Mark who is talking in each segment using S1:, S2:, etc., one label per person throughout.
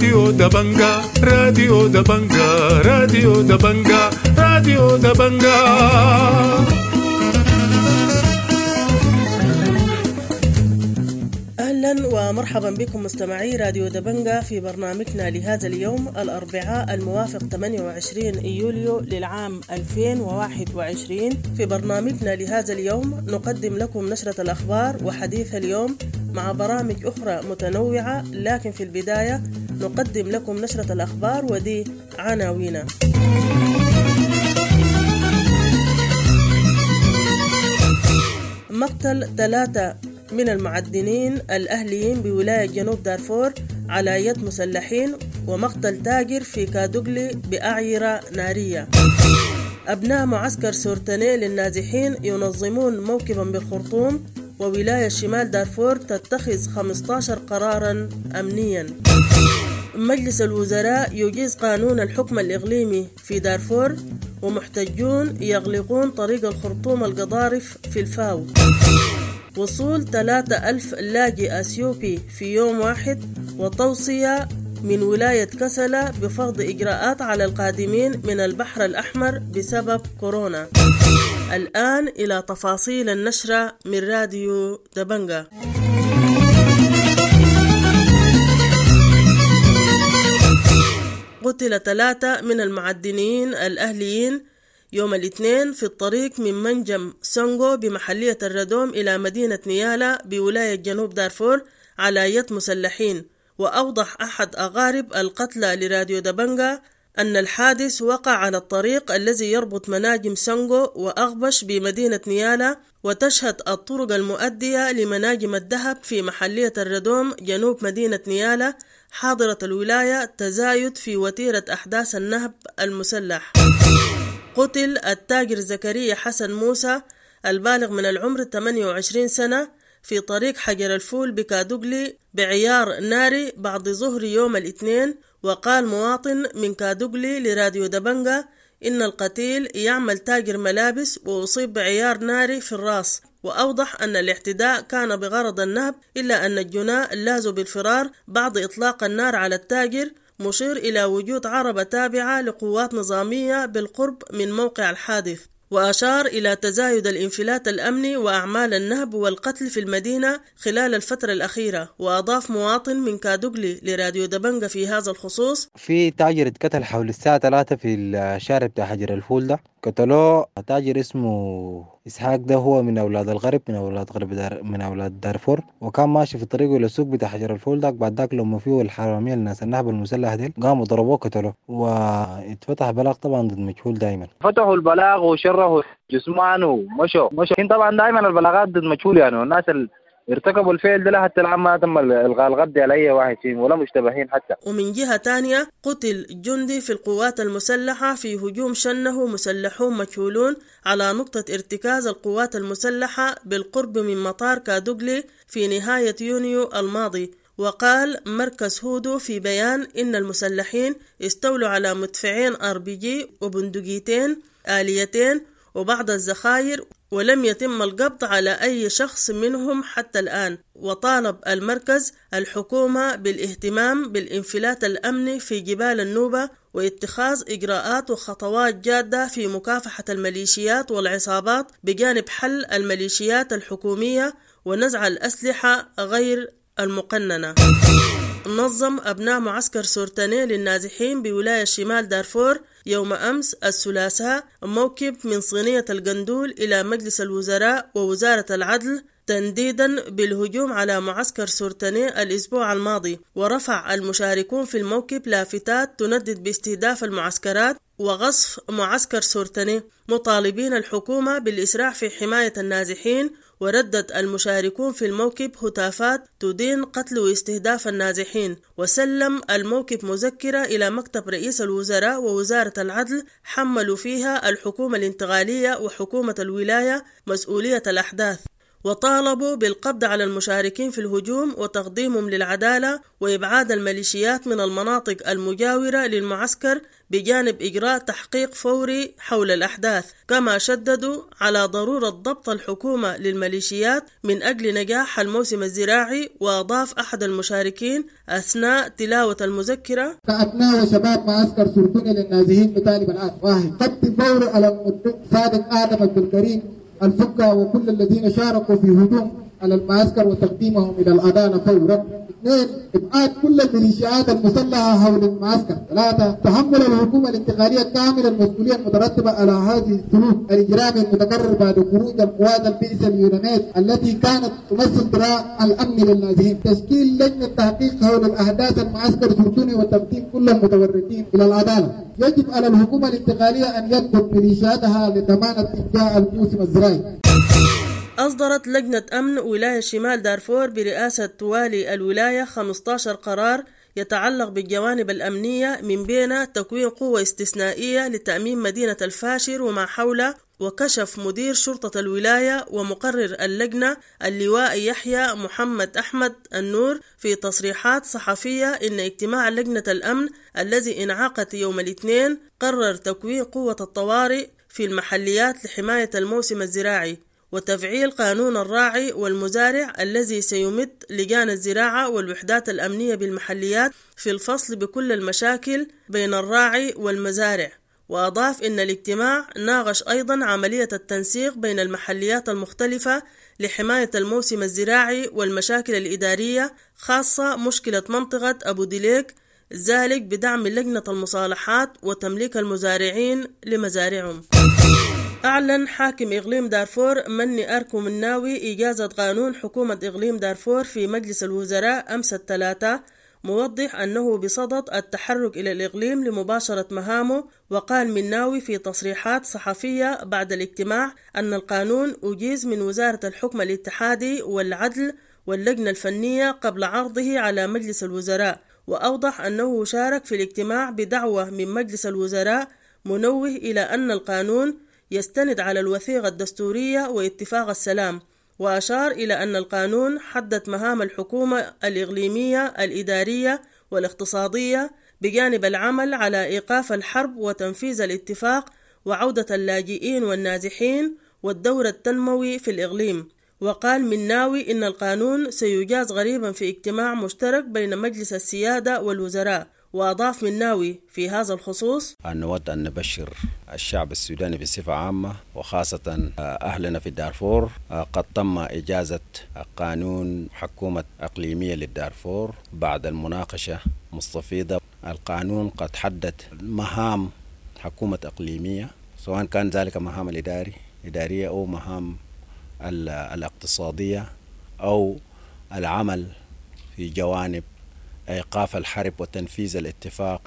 S1: راديو دبنجا، راديو دبنجا، راديو دبنجا، راديو دبنجا.
S2: أهلا ومرحبا بكم مستمعي راديو دبنجا في برنامجنا لهذا اليوم الأربعاء الموافق 28 يوليو للعام 2021. في برنامجنا لهذا اليوم نقدم لكم نشرة الأخبار وحديث اليوم مع برامج أخرى متنوعة، لكن في البداية نقدم لكم نشرة الأخبار ودي عناوينها. مقتل 3 من المعدنين الأهليين بولاية جنوب دارفور على يد مسلحين، ومقتل تاجر في كادوغلي بأعيرة نارية. أبناء معسكر سورتاني للنازحين ينظمون موكبا بالخرطوم، وولاية شمال دارفور تتخذ 15 قرارا أمنيا. مجلس الوزراء يجيز قانون الحكم الإقليمي في دارفور، ومحتجون يغلقون طريق الخرطوم القضارف في الفاو. وصول 3000 لاجئ أثيوبي في يوم واحد، وتوصية من ولاية كسلة بفرض إجراءات على القادمين من البحر الأحمر بسبب كورونا. الآن إلى تفاصيل النشرة من راديو دبنجا. قتل 3 من المعدنيين الأهليين يوم الاثنين في الطريق من منجم سونغو بمحلية الردوم إلى مدينة نيالا بولاية جنوب دارفور على يد مسلحين. وأوضح أحد أقارب القتلى لراديو دبنجا أن الحادث وقع على الطريق الذي يربط مناجم سونغو وأغبش بمدينة نيالا، وتشهد الطرق المؤدية لمناجم الذهب في محلية الردوم جنوب مدينة نيالا حاضرة الولاية تزايد في وتيرة أحداث النهب المسلح. قتل التاجر زكريا حسن موسى البالغ من العمر 28 سنة في طريق حجر الفول بكادوغلي بعيار ناري بعد ظهر يوم الاثنين. وقال مواطن من كادوغلي لراديو دبنجا إن القتيل يعمل تاجر ملابس وأصيب بعيار ناري في الرأس، وأوضح أن الاعتداء كان بغرض النهب، إلا أن الجناة لاذوا بالفرار بعد إطلاق النار على التاجر، مشير إلى وجود عربة تابعة لقوات نظامية بالقرب من موقع الحادث. وأشار إلى تزايد الانفلات الأمني وأعمال النهب والقتل في المدينة خلال الفترة الأخيرة. وأضاف مواطن من كادوغلي لراديو دبنجا في هذا الخصوص:
S3: في تاجر اتقتل حول الساعة 3 في الشارع بتاع حجر الفول ده، قتلوه تاجر اسمه إسحاق، ده هو من أولاد الغرب، من أولاد غرب دار، من أولاد دارفور، وكان ماشي في طريقه للسوق بتاع حجر الفول ده. بعد ذاك لما فيه الحرامية الناس النهب المسلح ديل قاموا ضربوه قتلوه، واتفتح بلاغ طبعا ضد مجهول. دايما
S4: فتحوا البلاغ وشرهوا جثمانه مشوا. طبعا دايما البلاغات ضد مجهول، يعني الناس ارتكبوا الفعل ده حتى الآن ما تم الغاء القبض على أي واحد فيهم ولا مشتبهين حتى.
S2: ومن جهة تانية قتل جندي في القوات المسلحة في هجوم شنه مسلحون مجهولون على نقطة ارتكاز القوات المسلحة بالقرب من مطار كادوغلي في نهاية يونيو الماضي. وقال مركز هودو في بيان إن المسلحين استولوا على مدفعين RPG وبندقيتين آليتين وبعض الذخائر، ولم يتم القبض على أي شخص منهم حتى الآن. وطالب المركز الحكومة بالاهتمام بالانفلات الأمني في جبال النوبة واتخاذ إجراءات وخطوات جادة في مكافحة الميليشيات والعصابات، بجانب حل الميليشيات الحكومية ونزع الأسلحة غير المقننة. نظم أبناء معسكر سورتاني للنازحين بولاية شمال دارفور يوم أمس الثلاثاء موكب من صينية القندول إلى مجلس الوزراء ووزارة العدل تنديدا بالهجوم على معسكر سورتاني الأسبوع الماضي. ورفع المشاركون في الموكب لافتات تندد باستهداف المعسكرات وغصف معسكر سورتاني، مطالبين الحكومة بالإسراع في حماية النازحين. وردد المشاركون في الموكب هتافات تدين قتل واستهداف النازحين. وسلم الموكب مذكرة إلى مكتب رئيس الوزراء ووزارة العدل حملوا فيها الحكومة الانتقالية وحكومة الولاية مسؤولية الأحداث. وطالبوا بالقبض على المشاركين في الهجوم وتقديمهم للعدالة وإبعاد الميليشيات من المناطق المجاورة للمعسكر، بجانب إجراء تحقيق فوري حول الأحداث. كما شددوا على ضرورة ضبط الحكومة للميليشيات من أجل نجاح الموسم الزراعي. وأضاف أحد المشاركين أثناء تلاوة المذكرة:
S5: كأبناء وشباب معسكر سرطوني للنازحين نطالب الآن: 1. قبض فوري على المدعو صادق آدم عبد الكريم الفكة وكل الذين شاركوا في هجوم على المعسكر وتقديمهم إلى العدالة فورا. 2. إبعاد كل الميليشيات المسلحة حول المعسكر. 3. تحمل الحكومة الانتقالية كامل المسؤولية المترتبة على هذه السلوك الإجرامي المتكرر بعد خروج القوات البئس اليوناميد التي كانت تمثل ذراع الأمن للنازحين. تشكيل لجنة تحقيق حول الأحداث المعسكر سرطوني وتقديم كل المتورطين إلى العدالة. يجب على الحكومة الانتقالية أن يضبط ميليشياتها لضمان إنجاح الموسم الزراعي.
S2: أصدرت لجنة أمن ولاية شمال دارفور برئاسة والي الولاية 15 قرار يتعلق بالجوانب الأمنية، من بين تكوين قوة استثنائية لتأمين مدينة الفاشر وما حولها. وكشف مدير شرطة الولاية ومقرر اللجنة اللواء يحيى محمد أحمد النور في تصريحات صحفية إن اجتماع لجنة الأمن الذي انعقد يوم الاثنين قرر تكوين قوة الطوارئ في المحليات لحماية الموسم الزراعي وتفعيل قانون الراعي والمزارع الذي سيمد لجان الزراعة والوحدات الأمنية بالمحليات في الفصل بكل المشاكل بين الراعي والمزارع. وأضاف إن الاجتماع ناقش أيضا عملية التنسيق بين المحليات المختلفة لحماية الموسم الزراعي والمشاكل الإدارية، خاصة مشكلة منطقة أبو دليك، ذلك بدعم لجنة المصالحات وتمليك المزارعين لمزارعهم. أعلن حاكم إقليم دارفور مني أركو مناوي إجازة قانون حكومة إقليم دارفور في مجلس الوزراء أمس الثلاثاء، موضح أنه بصدد التحرك إلى الإقليم لمباشرة مهامه. وقال مناوي في تصريحات صحفية بعد الاجتماع أن القانون أجيز من وزارة الحكم الاتحادي والعدل واللجنة الفنية قبل عرضه على مجلس الوزراء. وأوضح أنه شارك في الاجتماع بدعوة من مجلس الوزراء، منوه إلى أن القانون يستند على الوثيقة الدستورية واتفاق السلام. وأشار إلى أن القانون حدد مهام الحكومة الإقليمية الإدارية والاقتصادية بجانب العمل على إيقاف الحرب وتنفيذ الاتفاق وعودة اللاجئين والنازحين والدور التنموي في الإقليم. وقال مناوي إن القانون سيجاز غريبا في اجتماع مشترك بين مجلس السيادة والوزراء. وأضاف مناوي في هذا الخصوص:
S6: نود أن نبشر الشعب السوداني بصفة عامة وخاصة أهلنا في دارفور، قد تم إجازة قانون حكومة إقليمية للدارفور بعد المناقشة مستفيضة. القانون قد حدد مهام حكومة إقليمية، سواء كان ذلك مهام الإدارية أو مهام الاقتصادية أو العمل في جوانب إيقاف الحرب وتنفيذ الاتفاق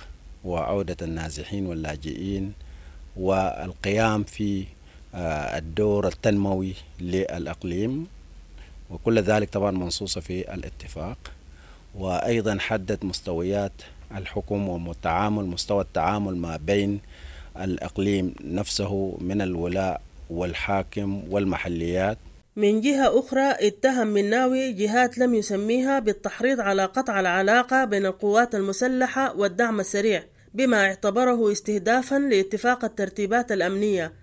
S6: وعودة النازحين واللاجئين والقيام في الدور التنموي للإقليم، وكل ذلك طبعا منصوص في الاتفاق. وأيضا حدد مستويات الحكم ومتعامل مستوى التعامل ما بين الإقليم نفسه من الولاء والحاكم والمحليات.
S2: من جهة أخرى اتهم مناوي جهات لم يسميها بالتحريض على قطع العلاقة بين القوات المسلحة والدعم السريع بما اعتبره استهدافا لاتفاق الترتيبات الأمنية.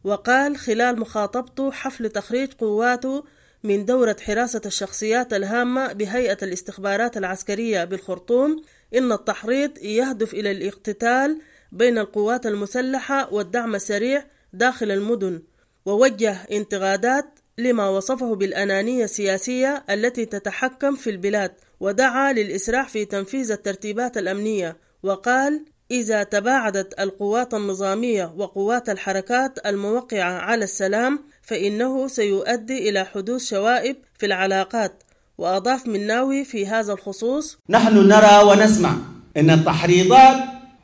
S2: وقال خلال مخاطبته حفل تخريج قواته من دورة حراسة الشخصيات الهامة بهيئة الاستخبارات العسكرية بالخرطوم إن التحريض يهدف إلى الاقتتال بين القوات المسلحة والدعم السريع داخل المدن، ووجه انتقادات لما وصفه بالأنانية السياسية التي تتحكم في البلاد، ودعا للإسراع في تنفيذ الترتيبات الأمنية. وقال إذا تباعدت القوات النظامية وقوات الحركات الموقعة على السلام فإنه سيؤدي إلى حدوث شوائب في العلاقات. وأضاف مناوي في هذا الخصوص:
S7: نحن نرى ونسمع أن التحريضات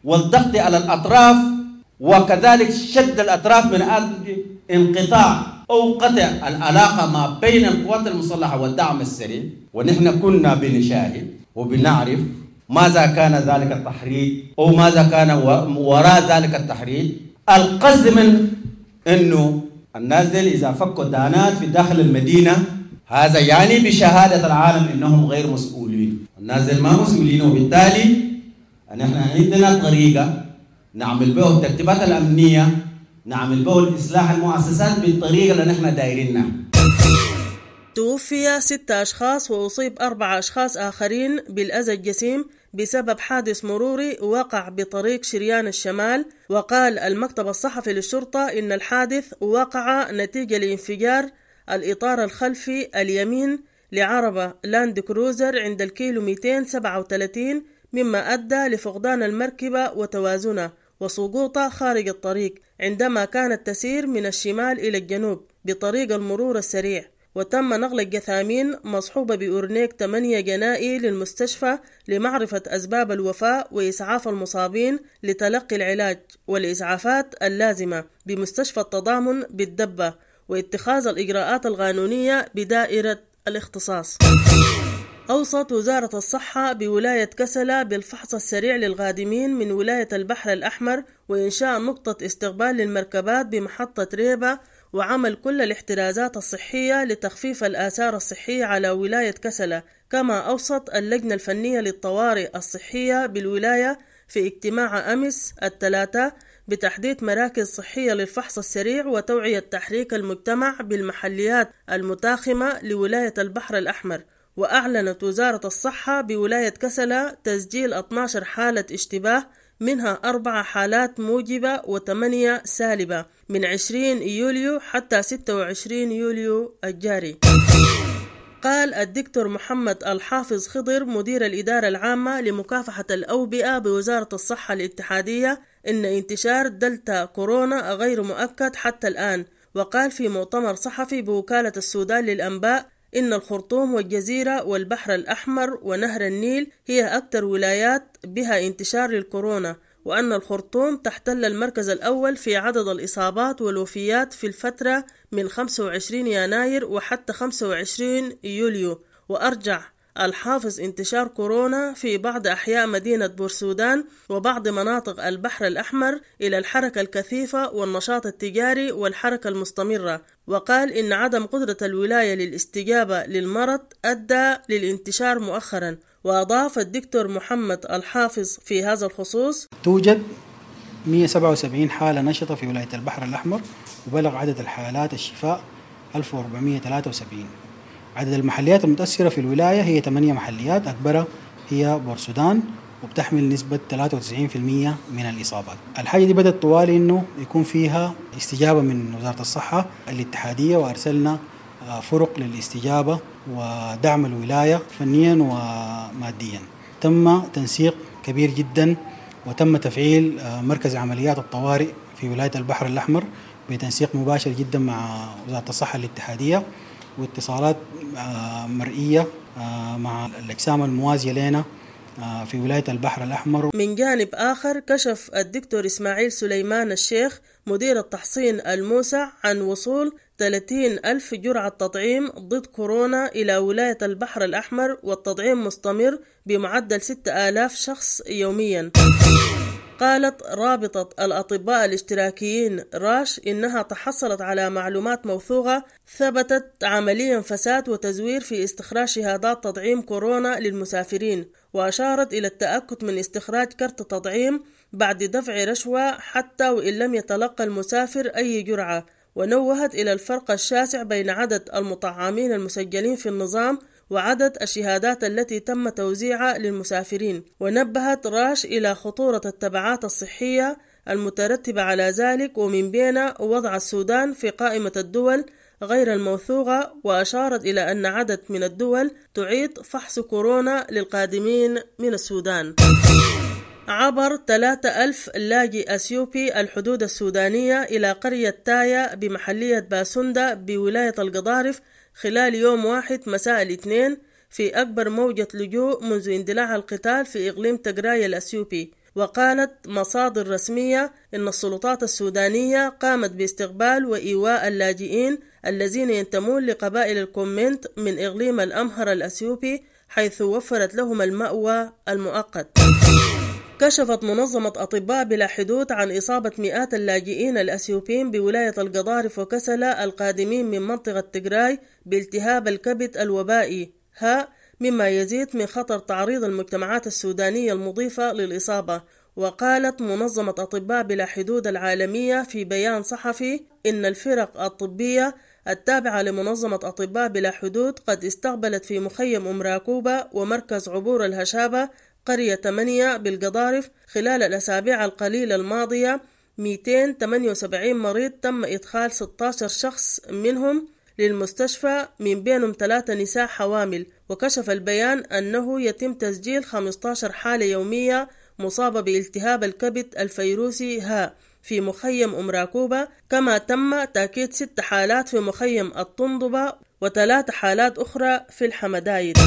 S7: والضغط على الأطراف وكذلك شد الأطراف من أجل انقطاع أو قطع العلاقة ما بين القوات المسلحة والدعم السريع، ونحن كنا بنشاهد وبنعرف ماذا كان ذلك التحريض أو ماذا كان وراء ذلك التحريض. القصد من أنه الناس إذا فكوا دانات في داخل المدينة هذا يعني بشهادة العالم إنهم غير مسؤولين. الناس ما مسؤولين، وبالتالي نحن عندنا طريقة نعمل به الترتيبات الأمنية، نعمل به الإصلاح المؤسسات بالطريقة اللي نحن دايرينها.
S2: توفي 6 أشخاص وأصيب 4 أشخاص آخرين بالأذى الجسيم بسبب حادث مروري وقع بطريق شريان الشمال. وقال المكتب الصحفي للشرطة إن الحادث وقع نتيجة لانفجار الإطار الخلفي اليمين لعربة لاند كروزر عند الكيلو 237، مما أدى لفقدان المركبة وتوازنها وسقوطها خارج الطريق عندما كانت تسير من الشمال إلى الجنوب بطريق المرور السريع. وتم نقل الجثامين مصحوبة بأورنيك 8 جنائي للمستشفى لمعرفة أسباب الوفاة وإسعاف المصابين لتلقي العلاج والإسعافات اللازمة بمستشفى التضامن بالدبة واتخاذ الإجراءات القانونية بدائرة الاختصاص. أوصت وزارة الصحة بولاية كسلا بالفحص السريع للقادمين من ولاية البحر الأحمر وإنشاء نقطة استقبال للمركبات بمحطة ريبة وعمل كل الاحترازات الصحية لتخفيف الآثار الصحية على ولاية كسلا. كما أوصت اللجنة الفنية للطوارئ الصحية بالولاية في اجتماع أمس الثلاثاء بتحديد مراكز صحية للفحص السريع وتوعية تحريك المجتمع بالمحليات المتاخمة لولاية البحر الأحمر. وأعلنت وزارة الصحة بولاية كسلا تسجيل 12 حالة اشتباه، منها 4 حالات موجبة و8 سالبة من 20 يوليو حتى 26 يوليو الجاري. قال الدكتور محمد الحافظ خضر مدير الإدارة العامة لمكافحة الأوبئة بوزارة الصحة الاتحادية إن انتشار دلتا كورونا غير مؤكد حتى الآن. وقال في مؤتمر صحفي بوكالة السودان للأنباء إن الخرطوم والجزيرة والبحر الأحمر ونهر النيل هي أكثر ولايات بها انتشار للكورونا، وأن الخرطوم تحتل المركز الأول في عدد الإصابات والوفيات في الفترة من 25 يناير وحتى 25 يوليو. وأرجع الحافظ انتشار كورونا في بعض أحياء مدينة بورسودان وبعض مناطق البحر الأحمر إلى الحركة الكثيفة والنشاط التجاري والحركة المستمرة. وقال إن عدم قدرة الولاية للاستجابة للمرض أدى للانتشار مؤخرا. وأضاف الدكتور محمد الحافظ في هذا الخصوص:
S8: توجد 177 حالة نشطة في ولاية البحر الأحمر، وبلغ عدد الحالات الشفاء 1473. عدد المحليات المتأثرة في الولاية هي 8 محليات، أكبرها هي بورسودان وبتحمل نسبة 93% من الإصابات. الحاجة دي بدأت طوالي إنه يكون فيها استجابة من وزارة الصحة الاتحادية، وأرسلنا فرق للاستجابة ودعم الولاية فنيا وماديا. تم تنسيق كبير جدا، وتم تفعيل مركز عمليات الطوارئ في ولاية البحر الأحمر بتنسيق مباشر جدا مع وزارة الصحة الاتحادية، واتصالات مرئية مع الأجسام الموازية لنا في ولاية البحر الأحمر.
S2: من جانب آخر، كشف الدكتور إسماعيل سليمان الشيخ مدير التحصين الموسع عن وصول 30,000 جرعة تطعيم ضد كورونا إلى ولاية البحر الأحمر، والتطعيم مستمر بمعدل 6,000 شخص يوميا. قالت رابطة الأطباء الاشتراكيين راش إنها تحصلت على معلومات موثوقة ثبتت عمليا فساد وتزوير في استخراج شهادات تطعيم كورونا للمسافرين، وأشارت إلى التأكد من استخراج كرت تطعيم بعد دفع رشوة حتى وإن لم يتلقى المسافر أي جرعة. ونوهت إلى الفرق الشاسع بين عدد المطعمين المسجلين في النظام وعدد الشهادات التي تم توزيعها للمسافرين. ونبهت راش إلى خطورة التبعات الصحية المترتبة على ذلك، ومن بين وضع السودان في قائمة الدول غير الموثوقة. وأشارت إلى أن عدد من الدول تعيد فحص كورونا للقادمين من السودان. عبر 3,000 لاجئ أثيوبي الحدود السودانية إلى قرية تايا بمحلية باسوندا بولاية القضارف خلال يوم واحد مساء الاثنين، في أكبر موجة لجوء منذ اندلاع القتال في إقليم تجراي الأثيوبي. وقالت مصادر رسمية إن السلطات السودانية قامت باستقبال وإيواء اللاجئين الذين ينتمون لقبائل الكومنت من إقليم الأمهر الأثيوبي، حيث وفرت لهم المأوى المؤقت. كشفت منظمة أطباء بلا حدود عن إصابة مئات اللاجئين الأثيوبيين بولاية القضارف وكسلا القادمين من منطقة تجراي بالتهاب الكبد الوبائي ها، مما يزيد من خطر تعريض المجتمعات السودانية المضيفة للإصابة. وقالت منظمة أطباء بلا حدود العالمية في بيان صحفي إن الفرق الطبية التابعة لمنظمة أطباء بلا حدود قد استقبلت في مخيم أم راكوبة ومركز عبور الهشابة قرية 8 بالقضارف خلال الأسابيع القليلة الماضية 278 مريض، تم إدخال 16 شخص منهم للمستشفى، من بينهم 3 نساء حوامل. وكشف البيان أنه يتم تسجيل 15 حالة يومية مصابة بالتهاب الكبد الفيروسي ها في مخيم أم راكوبة، كما تم تأكيد 6 حالات في مخيم الطندبة و3 حالات أخرى في الحمدايد.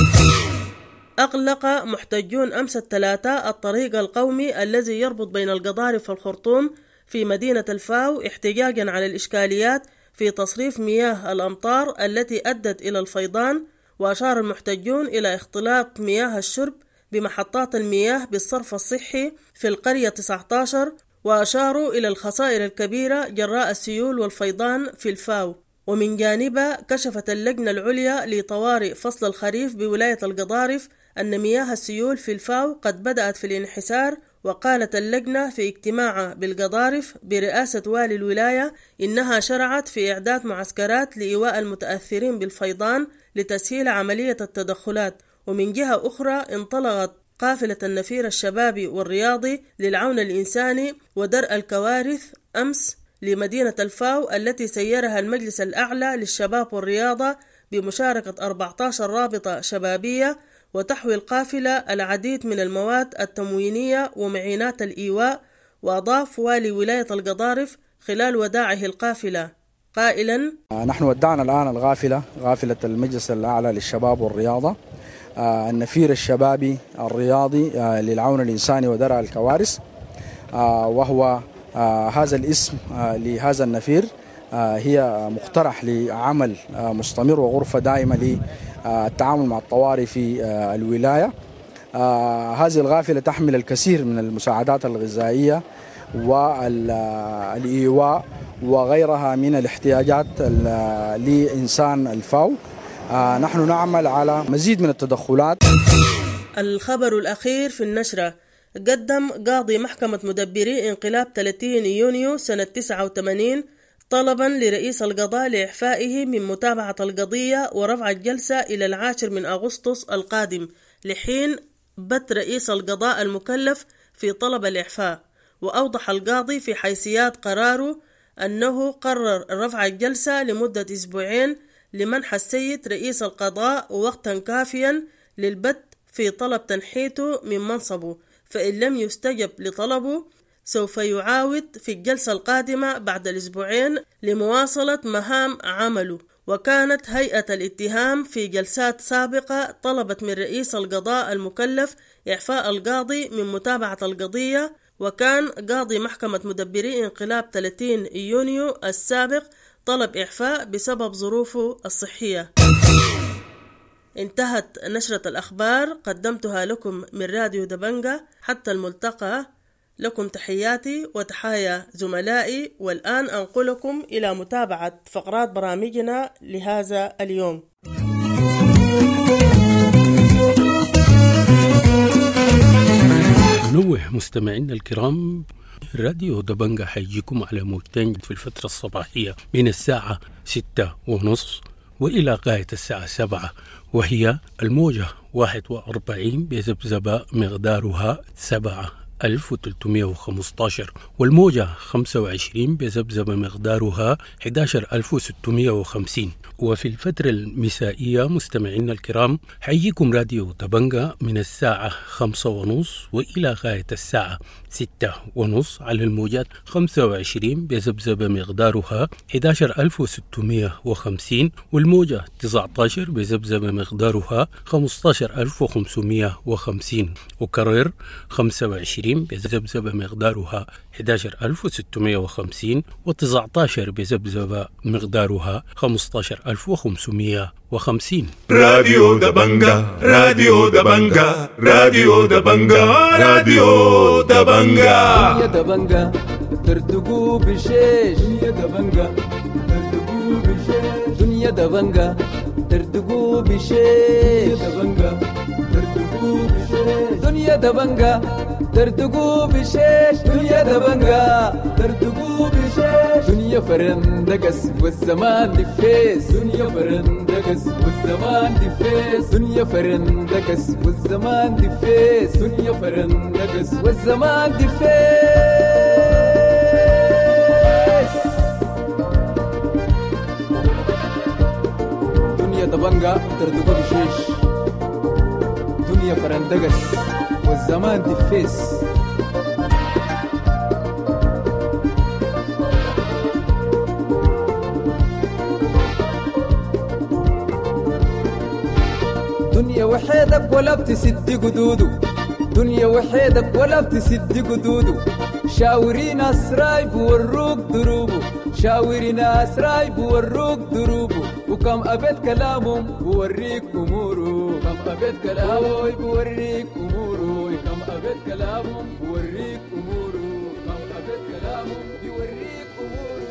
S2: أغلق محتجون أمس الثلاثاء الطريق القومي الذي يربط بين القضارف والخرطوم في مدينة الفاو احتجاجا على الإشكاليات في تصريف مياه الأمطار التي أدت إلى الفيضان. وأشار المحتجون إلى اختلاط مياه الشرب بمحطات المياه بالصرف الصحي في القرية 19، وأشاروا إلى الخسائر الكبيرة جراء السيول والفيضان في الفاو. ومن جانبها كشفت اللجنة العليا لطوارئ فصل الخريف بولاية القضارف أن مياه السيول في الفاو قد بدأت في الانحسار. وقالت اللجنة في اجتماع بالقضارف برئاسة والي الولاية إنها شرعت في إعداد معسكرات لإيواء المتأثرين بالفيضان لتسهيل عملية التدخلات. ومن جهة أخرى انطلقت قافلة النفير الشبابي والرياضي للعون الإنساني ودرء الكوارث أمس لمدينة الفاو التي سيرها المجلس الأعلى للشباب والرياضة بمشاركة 14 رابطة شبابية، وتحوي القافلة العديد من المواد التموينية ومعينات الإيواء. وأضاف والي ولاية القضارف خلال وداعه القافلة قائلا:
S9: نحن ودعنا الآن الغافلة، غافلة المجلس الأعلى للشباب والرياضة، النفير الشبابي الرياضي للعون الإنساني ودرء الكوارث، وهو هذا الاسم لهذا النفير هي مقترح لعمل مستمر وغرفة دائمة للتعامل مع الطوارئ في الولاية. هذه الغافلة تحمل الكثير من المساعدات الغذائية والإيواء وغيرها من الاحتياجات لإنسان الفاو. نحن نعمل على مزيد من التدخلات.
S2: الخبر الأخير في النشرة: قدم قاضي محكمة مدبري انقلاب 30 يونيو سنة 89 طلبا لرئيس القضاء لإعفائه من متابعة القضية ورفع الجلسة إلى 10 أغسطس القادم، لحين بت رئيس القضاء المكلف في طلب الإعفاء. وأوضح القاضي في حيثيات قراره أنه قرر رفع الجلسة لمدة أسبوعين لمنح السيد رئيس القضاء وقتا كافيا للبت في طلب تنحيته من منصبه، فإن لم يستجب لطلبه سوف يعاود في الجلسة القادمة بعد الأسبوعين لمواصلة مهام عمله. وكانت هيئة الاتهام في جلسات سابقة طلبت من رئيس القضاء المكلف إعفاء القاضي من متابعة القضية، وكان قاضي محكمة مدبري انقلاب 30 يونيو السابق طلب إعفاء بسبب ظروفه الصحية. انتهت نشرة الأخبار، قدمتها لكم من راديو دبنجة. حتى الملتقى، لكم تحياتي وتحايا زملائي، والآن أنقلكم إلى متابعة فقرات برامجنا لهذا اليوم.
S10: نوه مستمعينا الكرام، راديو دبنجة حيجيكم على موجتين في الفترة الصباحية من الساعة 6:30 وإلى غاية الساعة 7، وهي الموجة 41 بذبذبة مقدارها 7315، والموجة 25 بذبذبة مقدارها 11650. وفي الفترة المسائية مستمعينا الكرام حييكم راديو دبنجة من الساعة 5:30 وإلى غاية الساعة 6:30 على الموجات 25 بذبذبة مقدارها 11650، والموجة 19 بذبذبة مقدارها 15550. وكرر 25 28 بذبذبة مقدارها 11650، و19 بذبذبة مقدارها 15550.
S1: راديو دبنجا، راديو دبنجا، راديو دبنجا، راديو دبنجا.
S11: دنيا دبنجا ترتقو بشيش، دنيا دبنجا ترتقو بشيش، دنيا دبنجا ترتقو بشيش، دبنجا ترتقو بشيش، دنيا دبنجا ترتقو بشيش، دنيا دبنجا ترتقو بشيش، دنيا فرندقس والزمان دفيس، دنيا فرندقس والزمان دفيس، دنيا فرندقس والزمان دفيس، دنيا فرندقس والزمان دفيس. دنيا دبنجا ترتقو بشيش، دنيا فرندقس والزمان دفيس. دنيا وحيدك ولا بتسد قدوده، دنيا وحيدك ولا بتسد قدوده، شاوري ناس رايب وروك دروبه، شاوري ناس رايب وروك دروبه، وكم أبيت كلامهم بوريك أموره، كم أبيت كلامه بوريك أموره، كم أبيت كلامهم بوريك أموره، كم أبيت كلامهم بوريك أموره.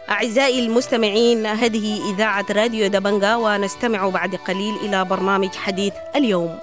S12: أعزائي المستمعين، هذه إذاعة راديو دبنجا، ونستمع بعد قليل إلى برنامج حديث اليوم.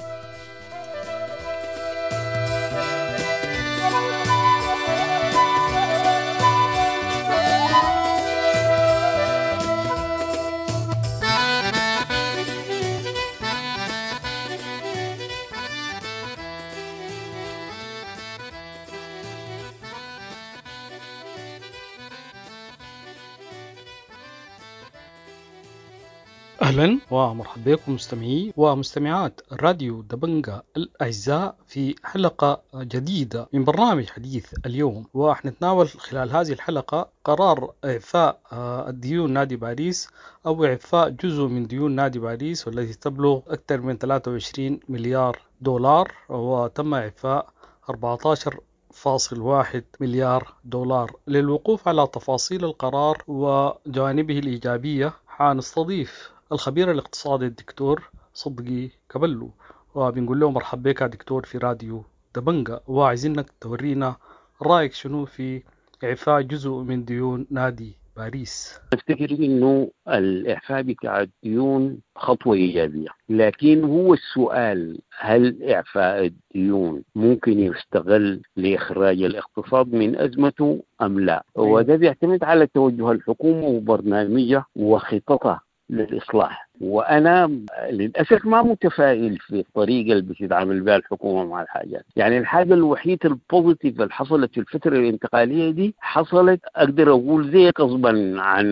S13: أهلا ومرحبا بكم مستمعي ومستمعات راديو دبنجا الأعزاء في حلقة جديدة من برنامج حديث اليوم. وحنتناول خلال هذه الحلقة قرار إعفاء الديون نادي باريس أو إعفاء جزء من ديون نادي باريس والتي تبلغ أكثر من 23 مليار دولار، وتم إعفاء 14.1 مليار دولار. للوقوف على تفاصيل القرار وجوانبه الإيجابية حنستضيف الخبير الاقتصادي الدكتور صدقي كبلو، وبنقول له مرحبا بك يا دكتور في راديو دبنجا، وعايزينك تورينا رأيك شنو في إعفاء جزء من ديون نادي باريس.
S14: أفتكر إنه الإعفاء بتاع الديون خطوة إيجابية، لكن هو السؤال هل إعفاء الديون ممكن يستغل لإخراج الاقتصاد من أزمته أم لا؟ وده بيعتمد على توجه الحكومة وبرنامجها وخططها للإصلاح. وأنا للأسف ما متفائل في الطريقة اللي بتتعامل بها الحكومة مع الحاجات. يعني الحاجة الوحيدة ال positive اللي حصلت في الفترة الانتقالية دي حصلت أقدر أقول زي غصبا عن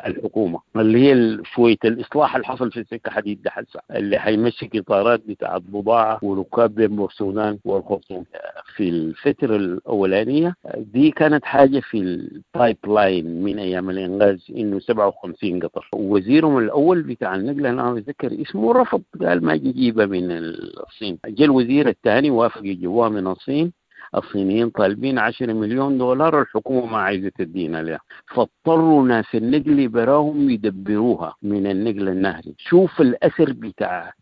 S14: الحكومة، اللي هي شوية الإصلاح اللي حصل في السكة حديد ده حسا اللي حيمشي قطارات بتاعت بضاعة وركاب بين بورسودان والخرطوم. في الفترة الأولانية دي كانت حاجة في ال pipeline من أيام الإنقاذ إنه 57 قطر. وزيرهم الأول بتاع النقل أنا أتذكر اسمه رفض، قال ما يجيبها من الصين. جاء الوزير الثاني وافق يجيبوها من الصين. الصينيين طالبين 10 مليون دولار، الحكومة ما عايزة تدينا لها، فاضطروا ناس النقل براهم يدبروها من النقل النهري. شوف الأثر بتاع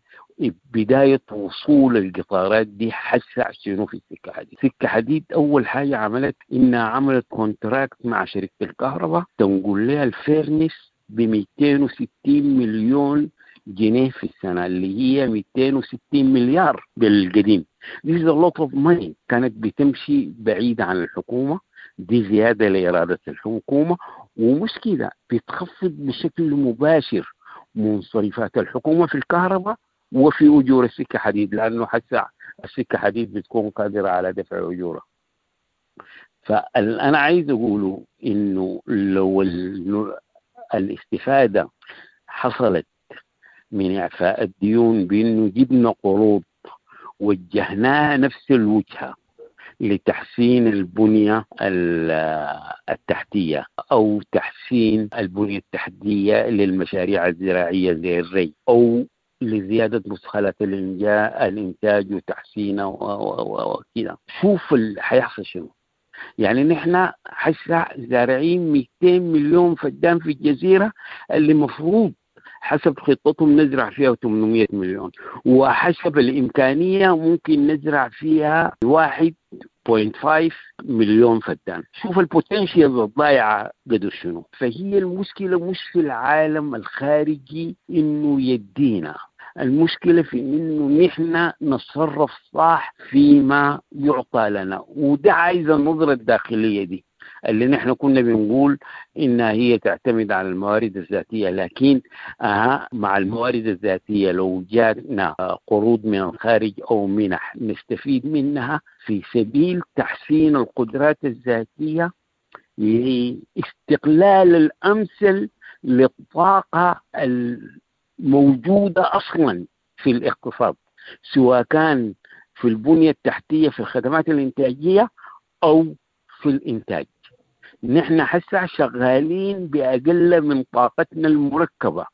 S14: بداية وصول القطارات دي حسع شنو في السكة حديد. سكة حديد أول حاجة عملت إنها عملت contract مع شركة الكهرباء تنقل لها ال furnace ب 260 مليون جنيه في السنة، اللي هي 260 مليار بالقديم. This is a lot of money. كانت بتمشي بعيدة عن الحكومة، دي زيادة لإرادة الحكومة، ومش كده بتخفض بشكل مباشر منصرفات الحكومة في الكهرباء وفي أجور السكة حديد، لأنه حتى السكة حديد بتكون قادرة على دفع أجورها. فأنا عايز أقوله إنه لو الاستفادة حصلت من إعفاء الديون بأنه جبنا قروض وجهناها نفس الوجهة لتحسين البنية التحتية أو تحسين البنية التحتية للمشاريع الزراعية زي الري، أو لزيادة مدخلات الإنتاج وتحسينه وكذا. شوف حيحصل شنو. يعني نحن حسا زارعين 200 مليون فدان في الجزيرة اللي مفروض حسب خطتهم نزرع فيها 800 مليون، وحسب الإمكانية ممكن نزرع فيها 1.5 مليون فدان. شوف البوتنشيال الضايعة قدر شنو. فهي المشكلة مش في العالم الخارجي إنه يدينا، المشكلة في إنه نحن نتصرف صح فيما يعطى لنا، وده عايز النظرة الداخلية دي اللي نحن كنا بنقول إنها هي تعتمد على الموارد الذاتية. لكن مع الموارد الذاتية لو جاتنا قروض من الخارج أو منح نستفيد منها في سبيل تحسين القدرات الذاتية لاستقلال الأمثل للطاقة الموجودة أصلا في الاقتصاد، سواء كان في البنية التحتية في الخدمات الإنتاجية أو في الإنتاج. نحن حسا شغالين بأقل من طاقتنا المركبة،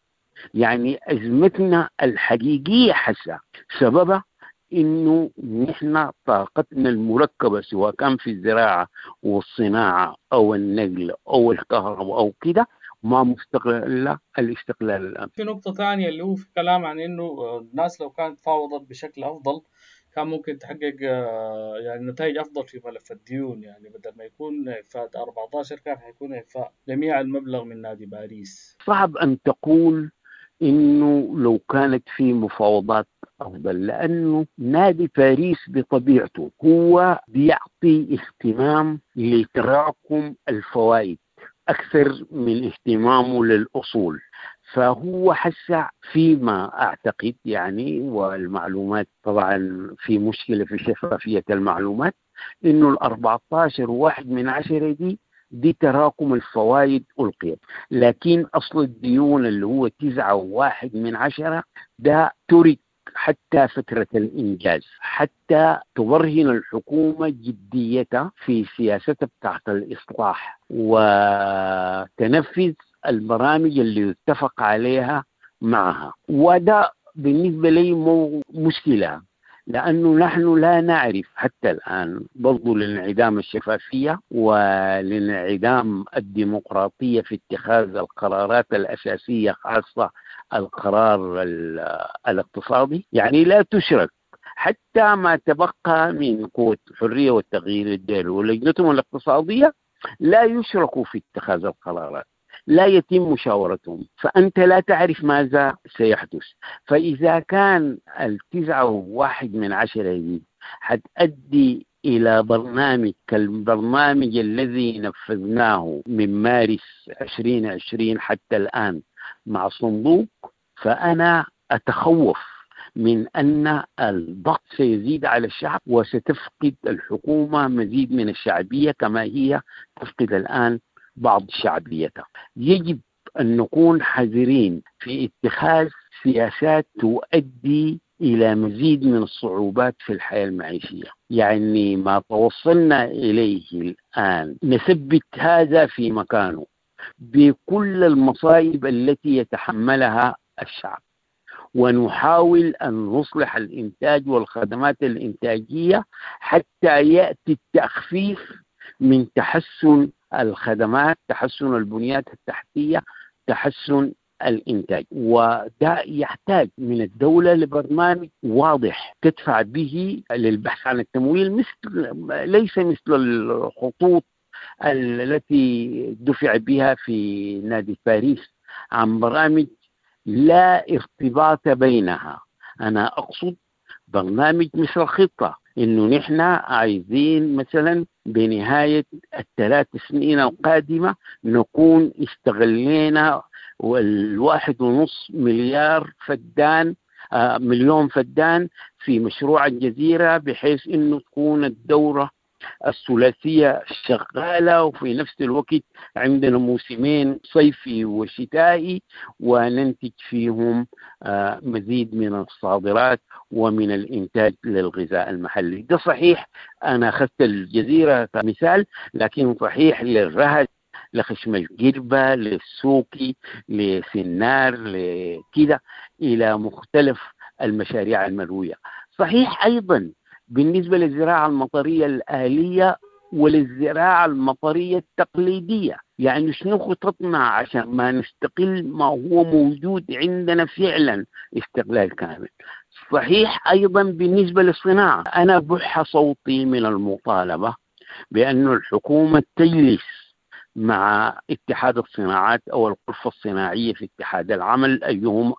S14: يعني أزمتنا الحقيقية حسا سببها إنه نحن طاقتنا المركبة سواء كان في الزراعة والصناعة أو النقل أو الكهرباء أو كده ما مستقلة الاستقلال الآن.
S15: في نقطة ثانية اللي هو في كلام عن إنه الناس لو كانت فاوضت بشكل أفضل كان ممكن تحقق يعني نتائج أفضل في ملف الديون، يعني بدل ما يكون إعفاء 14 كان حيكون إعفاء جميع المبلغ من نادي باريس.
S14: صعب أن تقول إنه لو كانت في مفاوضات أفضل، لأنه نادي باريس بطبيعته هو بيعطي اهتمام لتراكم الفوائد أكثر من اهتمامه للأصول. فهو حسع فيما أعتقد يعني، والمعلومات طبعا في مشكلة في شفافية المعلومات، إنه 14.1 دي تراكم الفوائد ألقيت، لكن أصل الديون اللي هو 9.1 ده ترك حتى فترة الإنجاز، حتى تبرهن الحكومة جديتها في سياستها بتاعت الإصلاح وتنفذ البرامج اللي اتفق عليها معها. وده بالنسبة لي مو مشكلة، لأنه نحن لا نعرف حتى الآن برضو لانعدام الشفافية ولانعدام الديمقراطية في اتخاذ القرارات الأساسية، خاصة القرار الاقتصادي. يعني لا تشرك حتى ما تبقى من قوة الحرية والتغيير الدولي ولجنتهم الاقتصادية لا يشركوا في اتخاذ القرارات، لا يتم مشاورتهم، فأنت لا تعرف ماذا سيحدث. فإذا كان 9.1 دي حتؤدي إلى برنامج كالبرنامج الذي نفذناه من مارس 2020 حتى الآن مع صندوق، فأنا أتخوف من أن الضغط سيزيد على الشعب وستفقد الحكومة مزيد من الشعبية كما هي تفقد الآن بعض شعبيتها. يجب أن نكون حذرين في اتخاذ سياسات تؤدي إلى مزيد من الصعوبات في الحياة المعيشية. يعني ما توصلنا إليه الآن نثبت هذا في مكانه بكل المصائب التي يتحملها الشعب، ونحاول أن نصلح الإنتاج والخدمات الإنتاجية حتى يأتي التخفيف من تحسن الخدمات، تحسن البنيات التحتية، تحسن الإنتاج. وده يحتاج من الدولة لبرنامج واضح تدفع به للبحث عن التمويل، مثل ليس مثل الخطوط التي دفع بها في نادي باريس عن برامج لا ارتباط بينها. أنا أقصد برنامج مثل الخطة، إنه نحن عايزين مثلا بنهاية 3 سنين القادمة نكون استغلينا 1.5 مليار فدان مليون فدان في مشروع الجزيرة، بحيث إنه تكون الدورة الثلاثية شغالة، وفي نفس الوقت عندنا موسمين صيفي وشتائي وننتج فيهم مزيد من الصادرات ومن الإنتاج للغذاء المحلي. ده صحيح، أنا أخذت الجزيرة كمثال، لكن صحيح للرهد، لخشم الجربة، للسوقي، لسنار، لكده، إلى مختلف المشاريع المروية. صحيح أيضا بالنسبة للزراعة المطرية الآلية وللزراعة المطرية التقليدية. يعني شنو خططنا عشان ما نستقل ما هو موجود عندنا فعلا استقلال كامل؟ صحيح أيضا بالنسبة للصناعة، أنا بح صوتي من المطالبة بأن الحكومة تجلس مع اتحاد الصناعات أو الغرفة الصناعية في اتحاد العمل أيهما،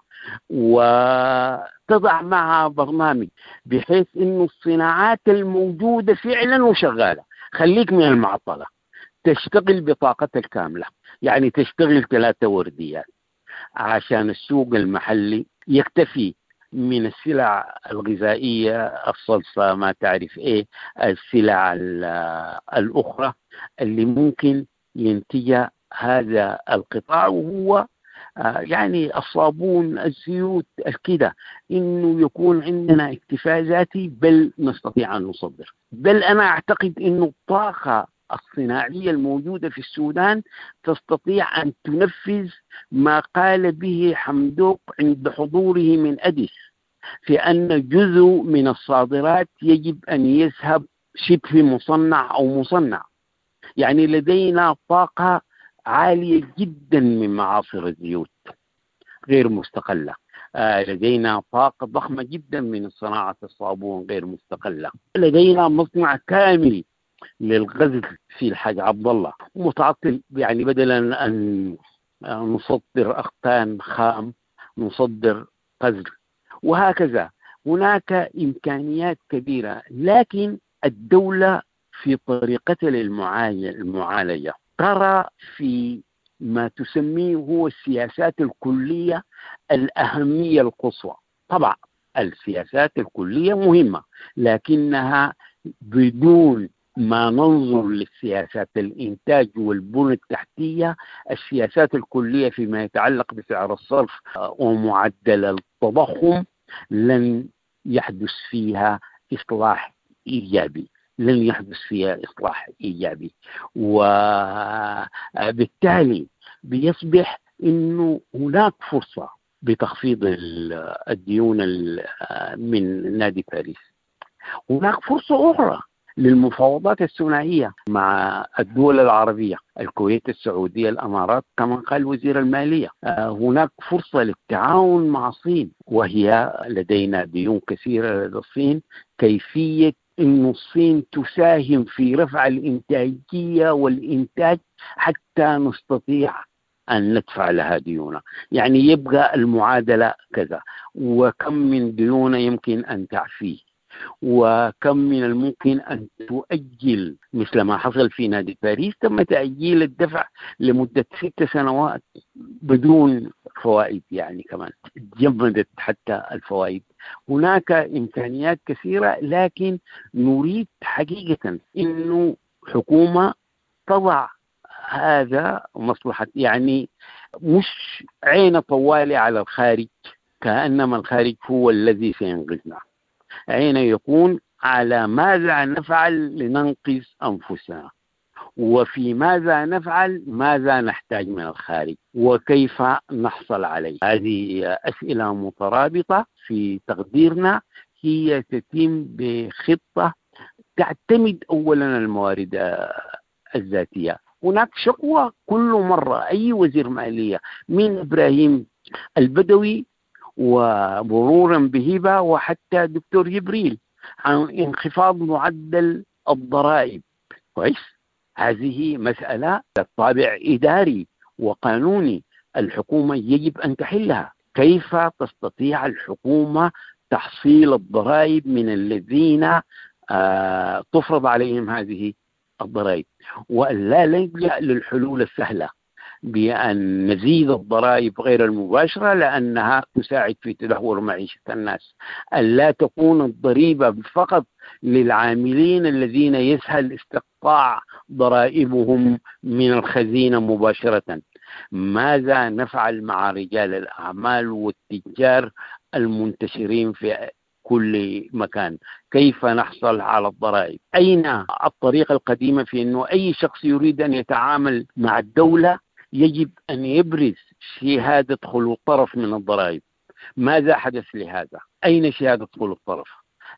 S14: وتضع معها برنامج بحيث أن الصناعات الموجودة فعلا وشغالة، خليك من المعطلة، تشتغل بطاقتها الكاملة، يعني تشتغل 3 ورديات عشان السوق المحلي يكتفي من السلع الغذائية، الصلصة، ما تعرف إيه، السلع الأخرى اللي ممكن ينتجها هذا القطاع، وهو يعني الصابون، الزيوت، الكده، إنه يكون عندنا اكتفاء ذاتي، بل نستطيع أن نصدر. بل أنا أعتقد إنه الطاقة الصناعية الموجودة في السودان تستطيع أن تنفذ ما قال به حمدوك عند حضوره من أديس، في أن جزء من الصادرات يجب أن يذهب شبه مصنع أو مصنع. يعني لدينا طاقة عالية جدا من معاصر الزيوت غير مستقلة، لدينا طاقة ضخمة جدا من صناعة الصابون غير مستقلة، لدينا مصنع كامل للغزل في الحاج عبد الله متعطل، يعني بدلا أن نصدر أقطان خام نصدر غزل، وهكذا. هناك إمكانيات كبيرة، لكن الدولة في طريقتها للمعالجة ترى في ما تسميه هو السياسات الكلية الأهمية القصوى. طبعا السياسات الكلية مهمة، لكنها بدون ما ننظر للسياسات الإنتاج والبنى التحتية، السياسات الكلية فيما يتعلق بسعر الصرف ومعدل التضخم لن يحدث فيها إصلاح إيجابي، لن يحدث فيها إصلاح إيجابي. وبالتالي بيصبح إنه هناك فرصة بتخفيض الديون من نادي باريس. هناك فرصة أخرى للمفاوضات الثنائية مع الدول العربية، الكويت، السعودية، الأمارات، كما قال وزير المالية. هناك فرصة للتعاون مع الصين، وهي لدينا ديون كثيرة لدى الصين. كيفية أن الصين تساهم في رفع الإنتاجية والإنتاج حتى نستطيع أن ندفع لها ديونها. يعني يبقى المعادلة كذا، وكم من ديون يمكن أن تعفيه، وكم من الممكن أن تؤجل، مثل ما حصل في نادي باريس، تم تأجيل الدفع لمدة 6 سنوات بدون فوائد، يعني كمان جمدت حتى الفوائد. هناك إمكانيات كثيرة، لكن نريد حقيقة أنه حكومة تضع هذا مصلحة، يعني مش عين طوالي على الخارج كأنما الخارج هو الذي سينقذنا، عين يكون على ماذا نفعل لننقذ أنفسنا، وفي ماذا نفعل، ماذا نحتاج من الخارج، وكيف نحصل عليه. هذه أسئلة مترابطة في تقديرنا، هي تتم بخطة تعتمد أولا الموارد الذاتية. هناك شكوى كل مرة أي وزير مالية من إبراهيم البدوي ومرورا بهبة وحتى دكتور جبريل عن انخفاض معدل الضرائب. كويس، هذه مسألة طابع إداري وقانوني، الحكومة يجب أن تحلها. كيف تستطيع الحكومة تحصيل الضرائب من الذين تفرض عليهم هذه الضرائب، ولا نلجأ للحلول السهلة. بأن نزيد الضرائب غير المباشرة لأنها تساعد في تدهور معيشة الناس، ألا تكون الضريبة فقط للعاملين الذين يسهل استقطاع ضرائبهم من الخزينة مباشرة. ماذا نفعل مع رجال الأعمال والتجار المنتشرين في كل مكان؟ كيف نحصل على الضرائب؟ أين الطريقة القديمة في أنه أي شخص يريد أن يتعامل مع الدولة يجب أن يبرز شهادة خلو طرف من الضرائب؟ ماذا حدث لهذا؟ أين شهادة خلو الطرف؟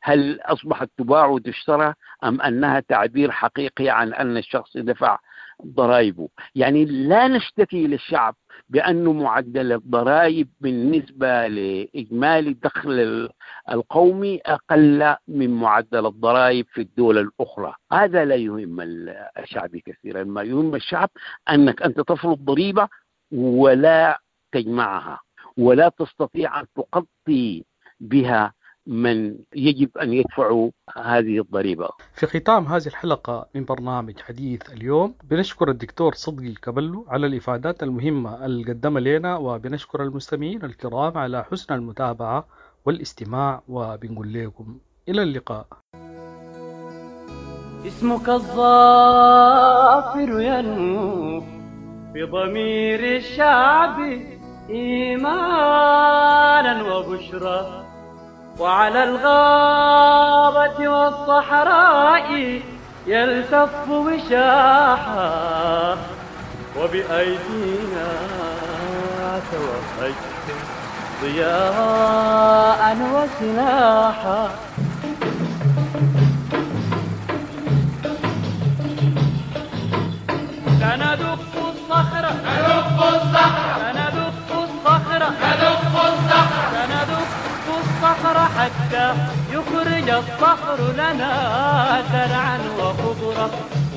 S14: هل أصبحت تباع وتشترى أم أنها تعبير حقيقي عن أن الشخص دفع ضرائبه؟ يعني لا نشتكي للشعب بأن معدل الضرائب بالنسبة لإجمالي الدخل القومي أقل من معدل الضرائب في الدول الأخرى. هذا لا يهم الشعب كثيرا. ما يهم الشعب أنك أنت تفرض ضريبة ولا تجمعها ولا تستطيع أن تغطي بها من يجب أن يدفعوا هذه الضريبة.
S13: في ختام هذه الحلقة من برنامج حديث اليوم بنشكر الدكتور صدقي كبلو على الإفادات المهمة اللي قدمها لنا، وبنشكر المستمعين الكرام على حسن المتابعة والاستماع، وبنقول لكم إلى اللقاء.
S16: اسمك الظافر ينمو في ضمير الشعب إيمانا وبشرى، وعلى الغابة والصحراء يلتف وشاحا، وبأيدينا توهجت ضياء وسلاحا. سندق الصخرة، ندق الصخرة، سندق الصخرة، ندق الصخرة، سندق الصخر حتى يخرج الصخر لنا زرعا وخضرا،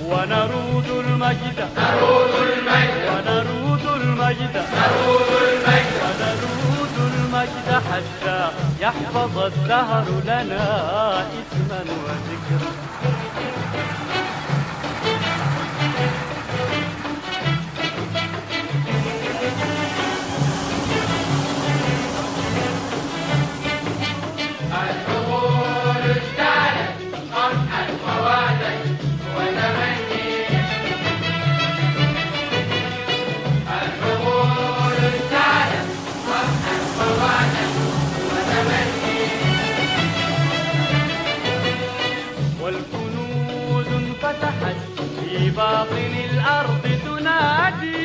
S16: ونرود المجد، نرود المجد، ونرود المجد، نرود المجد، ونرود المجد حتى يحفظ الدهر لنا اسما وذكرا. في باطن الأرض تنادي،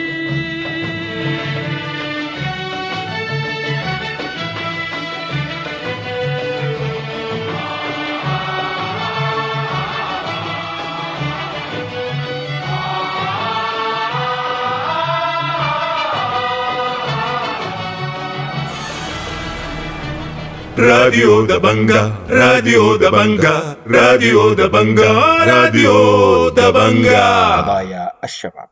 S1: راديو دبنجا، راديو دبنجا، راديو دبنجا، راديو دبنجا.
S17: قضايا الشباب.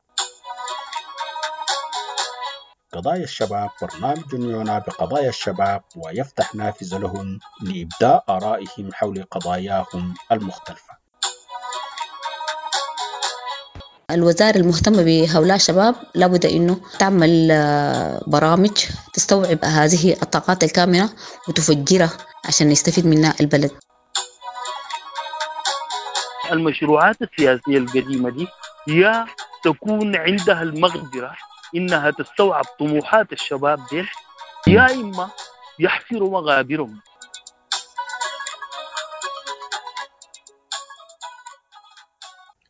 S17: قضايا الشباب برنامج يعنى بقضايا الشباب ويفتح نافذة لهم لإبداء آرائهم حول قضاياهم المختلفة.
S18: الوزارة المهتمة بهؤلاء الشباب لابد أنه تعمل برامج تستوعب هذه الطاقات الكامنة وتفجرها عشان يستفيد منها البلد.
S19: المشروعات السياسية القديمة دي يا تكون عندها المقدرة إنها تستوعب طموحات الشباب دي، يا إما يحفروا مغابرهم.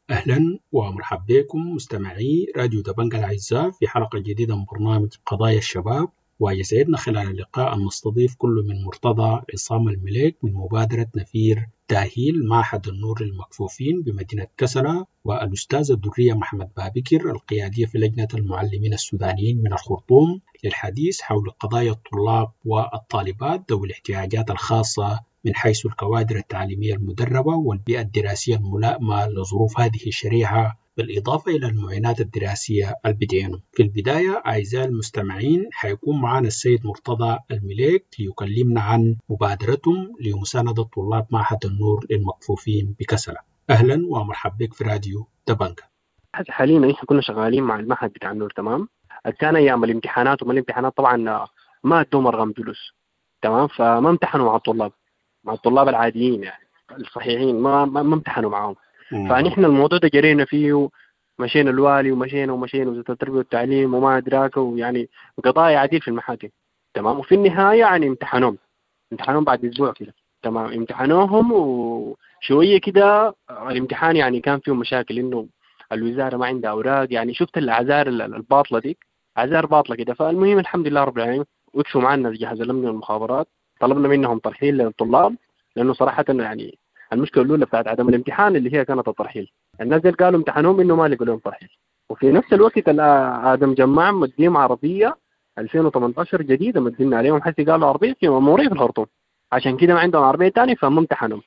S10: أهلا ومرحبا بكم مستمعي راديو دبنجا الأعزاء في حلقة جديدة من برنامج قضايا الشباب، ويسعدنا خلال اللقاء أن نستضيف كل من مرتضى عصام المليك من مبادرة نفير تأهيل معهد النور للمكفوفين بمدينة كسلا، والأستاذة الدرية محمد بابكر القيادية في لجنة المعلمين السودانيين من الخرطوم للحديث حول قضايا الطلاب والطالبات ذوي الاحتياجات الخاصة من حيث الكوادر التعليمية المدربة والبيئة الدراسية الملائمة لظروف هذه الشريحة، بالإضافة إلى المعينات الدراسية البدينة. في البداية أعزائي المستمعين حيكون معنا السيد مرتضى المليك ليكلمنا عن مبادرتهم لمساندة طلاب معهد النور للمكفوفين بكسلة. أهلا ومرحبا بك في راديو دبنجا.
S20: حاليا نحن كنا شغالين مع المعهد بتاع النور، تمام. كان ايام الامتحانات وما الامتحانات طبعا ما ادوهم ارقام جلوس، تمام؟ فما امتحنوا مع الطلاب، مع الطلاب العاديين يعني الصحيحين ما امتحنوا معاهم. فنحن الموضوع ده جرينا فيه، مشينا الوالي ومشينا ومشينا وزارة التربية والتعليم وما أدراك، ويعني قضايا عديد في المحاكم، تمام؟ وفي النهاية يعني امتحنوهم بعد أسبوع كده، تمام؟ امتحنوهم وشوية كده الامتحان يعني كان فيه مشاكل إنه الوزارة ما عندها أوراق، يعني شفت الأعذار الباطلة ديك، أعذار باطلة كده. فالمهم الحمد لله رب العالمين وقفوا معنا جهاز الأمن والمخابرات، طلبنا منهم ترحيل للطلاب، لأنه صراحة يعني المشكلة الأولى بتاعت عدم الامتحان اللي هي كانت الترحيل. الناس دي قالوا امتحنوهم إنه ما لقوا لهم ترحيل. وفي نفس الوقت آدم جماع مديهم عربية 2018 جديدة مدينا عليهم، حتى قالوا عربية في مأمورية في الخرطوم، عشان كده ما عندهم عربية تانية فما امتحنهم.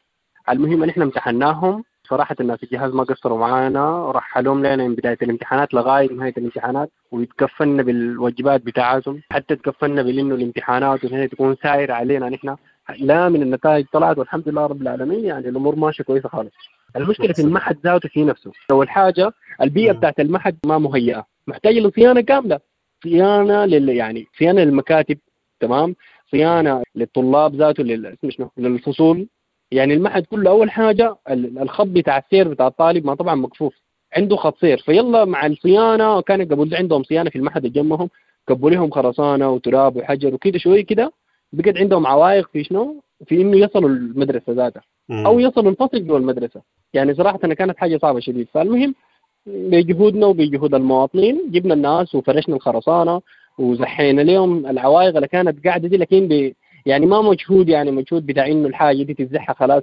S20: المهم نحن امتحناهم صراحة، الناس الجهاز ما قصروا معانا، رحلوهم لنا من بداية الامتحانات لغاية نهاية الامتحانات، ويتكفلنا بالواجبات بتاعتهم، حتى تكفلنا بإنه الامتحانات وهي تكون سائرة علينا نحن، لا من النتائج طلعت والحمد لله رب العالمين، يعني الأمور ماشية كويسة خالص. المشكلة في المعهد ذاته في نفسه. أول حاجة البيئة بتاعت المعهد ما مهيئة، محتاجة لصيانة كاملة، صيانة يعني صيانة للمكاتب، تمام؟ صيانة للطلاب ذاته، للفصول. يعني المعهد كله أول حاجة الخط بتاع السير بتاع الطالب ما طبعا مكفوف، عنده خط سير، فيلا مع الصيانة كان قبل عندهم صيانة في المعهد جنبهم، كبوا لهم خرسانة وتراب وحجر وكده، شوي كده بقت عندهم عوائق في شنو، في إنه يصلوا المدرسة ذاتها أو يصلوا الفصل جوا المدرسة. يعني صراحة أنا كانت حاجة صعبة شديد. فالمهم بجهودنا وبجهود المواطنين جبنا الناس وفرشنا الخرسانة وزحينا لهم العوائق اللي كانت قاعدة دي، لكن يعني ما مجهود، يعني مجهود بتاع إنه الحاجة دي تتزحها خلاص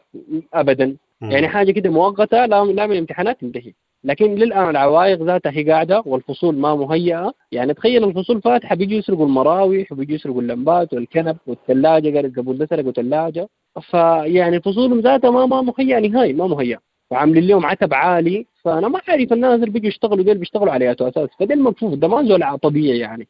S20: أبدا، يعني حاجة كده مؤقتة لا من الامتحانات تنتهي. لكن للآن العوائق ذاتها هي قاعدة والفصول ما مهيئة. يعني تخيل الفصول فاتحة بيجوا يسرقوا المراوح وبيجوا يسرقوا اللمبات والكنب والثلاجة، قالت قبل ده سرقوا ثلاجة. فيعني فصولهم ذاتها ما مهيئة نهائي، ما مهيئة، وعاملين لهم عتب عالي. فأنا ما عارف الناس اللي بيجوا يشتغلوا ديل بيشتغلوا على أساس، فده المكفوف ده ما زول طبيعي يعني.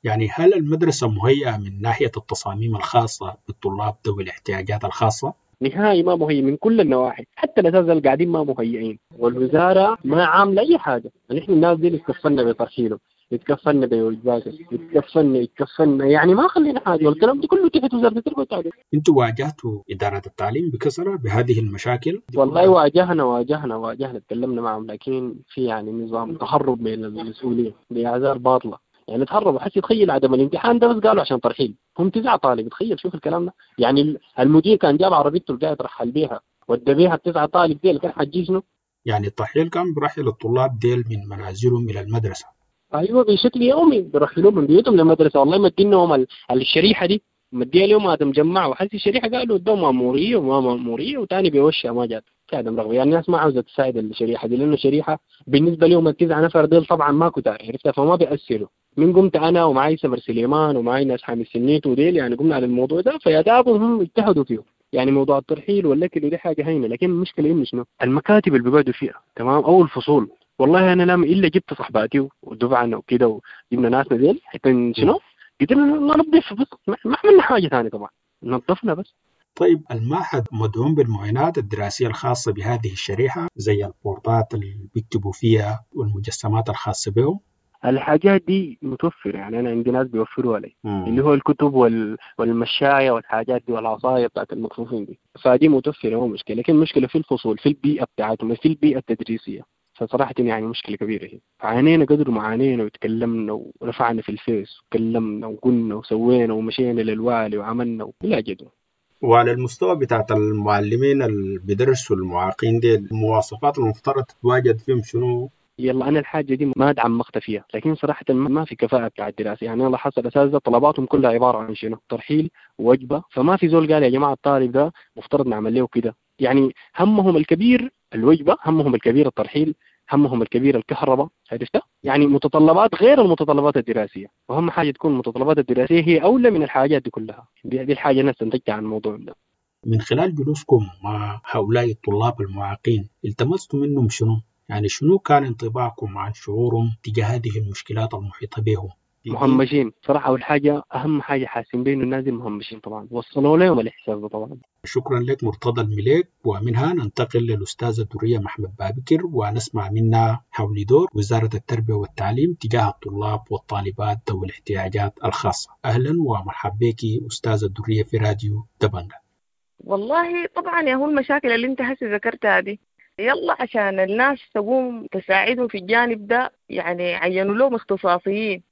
S17: يعني هل المدرسة مهيئة من ناحية التصاميم الخاصة بالطلاب ذوي الاحتياجات الخاصة؟
S20: نهائي ما مهيئ من كل النواحي، حتى الأساتذة اللي قاعدين ما مهيئين، والوزارة ما عاملة أي حاجة. نحن الناس دي اتكفلنا بترحيله، اتكفلنا بوجباته، اتكفلنا يعني ما خلينا حاجة، والكلام ده كله تحت وزارة التربية والتعليم.
S17: انتوا واجهتوا إدارة التعليم بكثرة بهذه المشاكل؟
S20: والله واجهنا تكلمنا معهم، لكن في يعني نظام تهرب من المسؤولية بأعذار باطلة. يعني تهربوا. حسي تخيل عدم الامتحان ده بس قالوا عشان ترحيل، هم 9 طالب، تخيل شوف الكلام ده. يعني المدير كان جاب عربيته اللي قاعد يرحل بيها ودى بيها 9 طالب ديل، كان حجي شنو؟
S17: يعني الترحيل كان برحل الطلاب ديل من منازلهم الى المدرسة.
S20: ايوه بشكل يومي برحلوهم من بيوتهم للمدرسة. والله مدينهم الشريحة دي مديها اليوم هذا مجمع، وحسي الشريحة قالوا ادوهم ماموريه وما ماموريه، وثاني بيوشها ما جات عدم رغبة. يعني الناس ما عاوزه تساعد الشريحة دي، لانه الشريحة بالنسبة لهم 9 نفر ديل طبعا ما كتار، عرفتها؟ فما بيأثروا. من قمت انا ومعي سمر سليمان ومعي ناس حامد سنيت وديل، يعني قمنا على الموضوع ده، فيا دابهم هم اجتهدوا فيه. يعني موضوع الترحيل والاكل ودي حاجة هينة، لكن المشكلة انه شنو؟ المكاتب اللي بيقعدوا فيها، تمام؟ او الفصول. والله انا لما الا جبت صحباتي ودفعنا وكده وجبنا ناسنا ديل حتى شنو؟ قدرنا ننظف بس، ما عملنا حاجة ثانية طبعا، نظفنا بس.
S17: طيب المعهد مدعوم بالمعينات الدراسية الخاصة بهذه الشريحة زي البورتات اللي بيكتبوا فيها والمجسمات الخاصة بهم؟
S20: الحاجات دي متوفرة، يعني أنا عندي ناس بيوفروها لي، اللي هو الكتب والمشاية والحاجات دي والعصاية بتاعت المكفوفين دي، فدي متوفرة ما مشكلة. لكن المشكلة في الفصول، في البيئة بتاعتهم، في البيئة التدريسية. فصراحة يعني مشكلة كبيرة هي. عانينا قدر ما عانينا وتكلمنا ورفعنا في الفيس وكلمنا وقلنا وسوينا ومشينا للوالي وعملنا بلا جدوى.
S17: وعلى المستوى بتاعت المعلمين اللي بيدرسوا المعاقين دي، المواصفات المفترض تتواجد فيهم شنو؟
S20: يلا أنا الحاجة دي ما تعمقت فيها، لكن صراحة ما في كفاءة بتاع الدراسة. يعني أنا لاحظت الأساتذة طلباتهم كلها عبارة عن شنو؟ ترحيل ووجبة. فما في زول قال يا جماعة الطالب ده مفترض نعمل له كده. يعني همهم الكبير الوجبة، همهم الكبير الترحيل، همهم الكبير الكهرباء، عرفتها؟ يعني متطلبات غير المتطلبات الدراسية، وأهم حاجة تكون المتطلبات الدراسية هي أولى من الحاجات دي كلها. دي الحاجة أنا استنتجتها عن الموضوع ده.
S17: من خلال جلوسكم مع هؤلاء الطلاب المعاقين التمستوا منهم شنو؟ يعني شنو كان انطباعكم عن شعورهم تجاه هذه المشكلات المحيطة بهم؟
S20: مهمشين صراحة. أول حاجة أهم حاجة حاسين بيه إنه الناس دي مهمشين طبعا، وصلوا لهم الإحساس ده طبعا.
S17: شكرا لك مرتضى المليك. ومنها ننتقل للأستاذة درية محمد بابكر ونسمع منها حول دور وزارة التربية والتعليم تجاه الطلاب والطالبات ذوي الاحتياجات الخاصة. أهلا ومرحبا بك أستاذة درية في راديو دبنجا.
S21: والله طبعا يا هو المشاكل اللي انت هسه ذكرتها دي، يلا عشان الناس تقوم تساعدهم في الجانب ده يعني عينوا لهم اختصاصيين.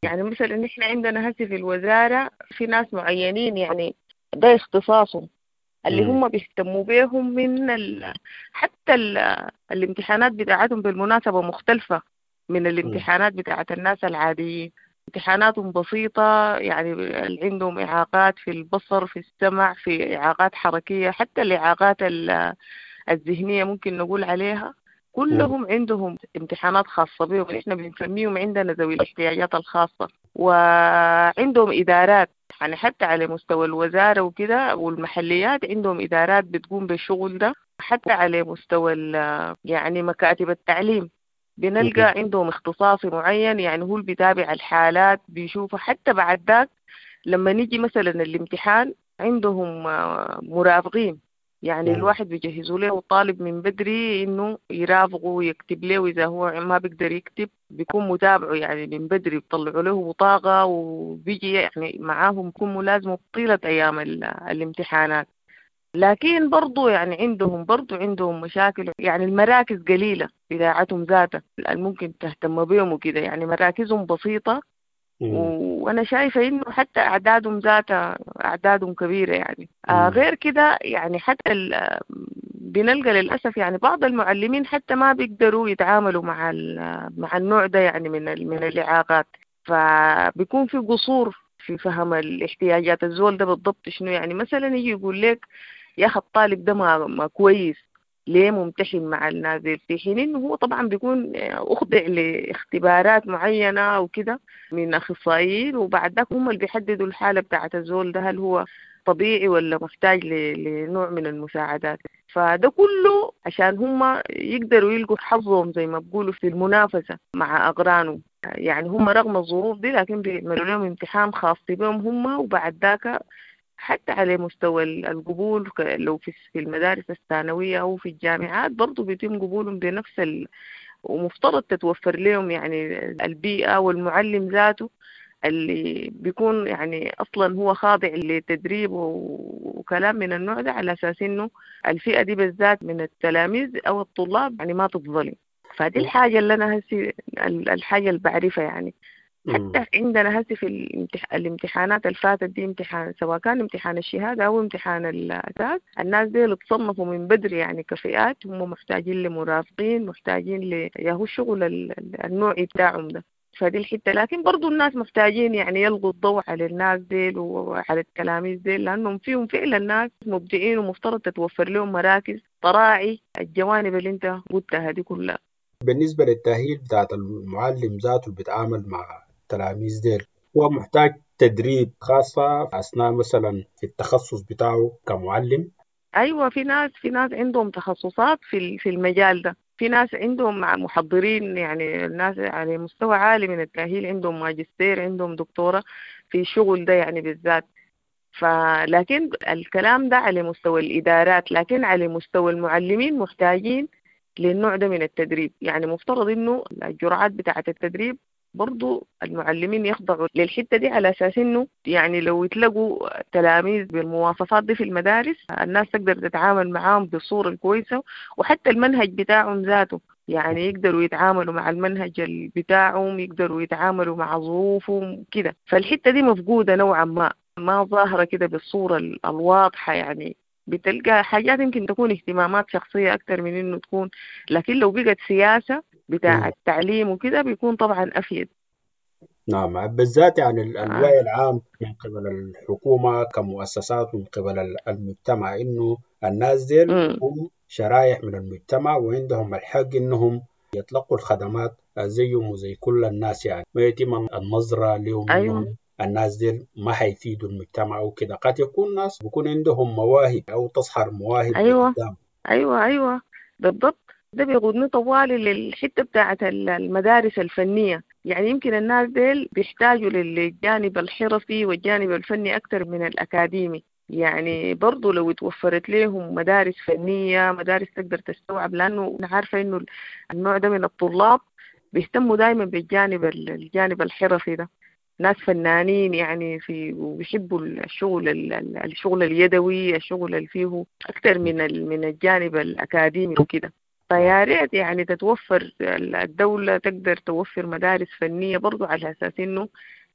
S21: يعني مثلا نحن عندنا هسه في الوزارة في ناس معينين يعني ده اختصاصهم اللي هم بيهتموا بيهم من حتى الامتحانات بتاعتهم بالمناسبة مختلفة من الامتحانات بتاعت الناس العاديين. امتحاناتهم بسيطة، يعني اللي عندهم إعاقات في البصر، في السمع، في إعاقات حركية، حتى الإعاقات الذهنية ممكن نقول عليها، كلهم عندهم امتحانات خاصة بهم. إحنا بنسميهم عندنا ذوي الاحتياجات الخاصة، وعندهم إدارات يعني حتى على مستوى الوزارة وكده والمحليات عندهم إدارات بتقوم بالشغل ده. حتى على مستوى يعني مكاتب التعليم بنلقى عندهم اختصاصي معين، يعني هو اللي بيتابع الحالات بيشوفها. حتى بعد ذاك لما نيجي مثلا الامتحان عندهم مرافقين، يعني الواحد بيجهزوا له الطالب من بدري انه يرافقه ويكتب له، اذا هو ما بيقدر يكتب بيكون متابعه يعني من بدري، بيطلعوا له بطاقة وبيجي يعني معاهم، بيكون ملازمه طيلة ايام الامتحانات. لكن برضو يعني عندهم مشاكل، يعني المراكز قليلة بتاعتهم ذاتها ممكن تهتم بهم وكده، يعني مراكزهم بسيطة. وأنا شايفة إنه حتى أعدادهم ذاتها أعدادهم كبيرة يعني. غير كده يعني حتى بنلقى للأسف يعني بعض المعلمين حتى ما بيقدروا يتعاملوا مع النوع ده يعني من الإعاقات، فبيكون في قصور في فهم الاحتياجات الزول ده بالضبط شنو. يعني مثلا يجي يقول لك يا أخي الطالب ده ما كويس، ليه ممتحن مع النازل، في حين إنه هو طبعا بيكون أخضع لاختبارات معينة وكده من أخصائيين، وبعد ذاك هم اللي بيحددوا الحالة بتاعة الزول ده هل هو طبيعي ولا محتاج لنوع من المساعدات. فده كله عشان هم يقدروا يلقوا حظهم زي ما بيقولوا في المنافسة مع أقرانهم. يعني هم رغم الظروف دي لكن بيعملوا لهم امتحان خاص بهم هم، وبعد ذاك حتى على مستوى القبول لو في المدارس الثانوية أو في الجامعات برضو بيتم قبولهم بنفس ومفترض تتوفر لهم يعني البيئة والمعلم ذاته اللي بيكون يعني أصلا هو خاضع لتدريب وكلام من النوع ده، على أساس إنه الفئة دي بالذات من التلاميذ أو الطلاب يعني ما تتظلم. فدي الحاجة اللي أنا هسي الحاجة اللي بعرفها يعني. حتى عندنا هسي في الامتحانات الفاتت دي، امتحان سواء كان امتحان الشهادة أو امتحان الأساس، الناس دي اللي تصنفوا من بدري يعني كفئات هم محتاجين لمرافقين، محتاجين ياهو الشغل النوعي بتاعهم ده. فدي الحتة. لكن برضو الناس محتاجين يعني يلقوا الضوء على الناس ديل وعلى التلاميذ ديل، لأنهم فيهم فعلا الناس مبدعين ومفترض تتوفر لهم مراكز تراعي الجوانب اللي انت قلتها دي كلها.
S17: بالنسبة للتأهيل بتاعت المعلم ذاته اللي بيتعامل مع التلاميذ ديل، هو محتاج تدريب خاصة أثناء مثلا في التخصص بتاعه كمعلم؟
S21: أيوة، في ناس عندهم تخصصات في المجال ده، في ناس عندهم محضرين يعني الناس على مستوى عالي من التأهيل، عندهم ماجستير، عندهم دكتوراه في الشغل ده يعني بالذات. فلكن الكلام ده على مستوى الإدارات، لكن على مستوى المعلمين محتاجين للنوع ده من التدريب. يعني مفترض إنه الجرعات بتاعة التدريب برضو المعلمين يخضعوا للحتة دي، على أساس إنه يعني لو يتلقوا تلاميذ بالمواصفات دي في المدارس الناس تقدر تتعامل معاهم بالصورة الكويسة، وحتى المنهج بتاعهم ذاته يعني يقدروا يتعاملوا مع المنهج بتاعهم، يقدروا يتعاملوا مع ظروفهم كده. فالحتة دي مفقودة نوعا ما ظاهرة كده بالصورة الواضحة، يعني بتلقى حاجات يمكن تكون اهتمامات شخصية أكتر من إنه تكون، لكن لو بقت سياسة بتاع التعليم وكده بيكون طبعا أفيد.
S17: نعم، بالذات يعني الوعي العام من قبل الحكومة كمؤسسات ومن قبل المجتمع، إنه الناس ديل هم شرائح من المجتمع وعندهم الحق إنهم يتلقوا الخدمات زيهم وزي كل الناس، يعني ما يتم النظرة لهم. أيوة. الناس ديل ما حيفيدوا المجتمع أو كده، قد يكون ناس بيكون عندهم مواهب أو تظهر مواهب.
S21: أيوة قدام. أيوة بالضبط. ده بيقودني طوالي للحتة بتاعة المدارس الفنية. يعني يمكن الناس ديل بيحتاجوا للجانب الحرفي والجانب الفني أكثر من الأكاديمي. يعني برضو لو توفرت لهم مدارس فنية، مدارس تقدر تستوعب، لأنه أنا عارفة إنه النوع ده من الطلاب بيهتموا دايما بالجانب الجانب الحرفي ده، ناس فنانين يعني في وبيحبوا الشغل اليدوي، الشغل اللي فيه أكثر من الجانب الأكاديمي وكده. فيا ريت يعني تتوفر الدولة تقدر توفر مدارس فنية برضو على أساس إنه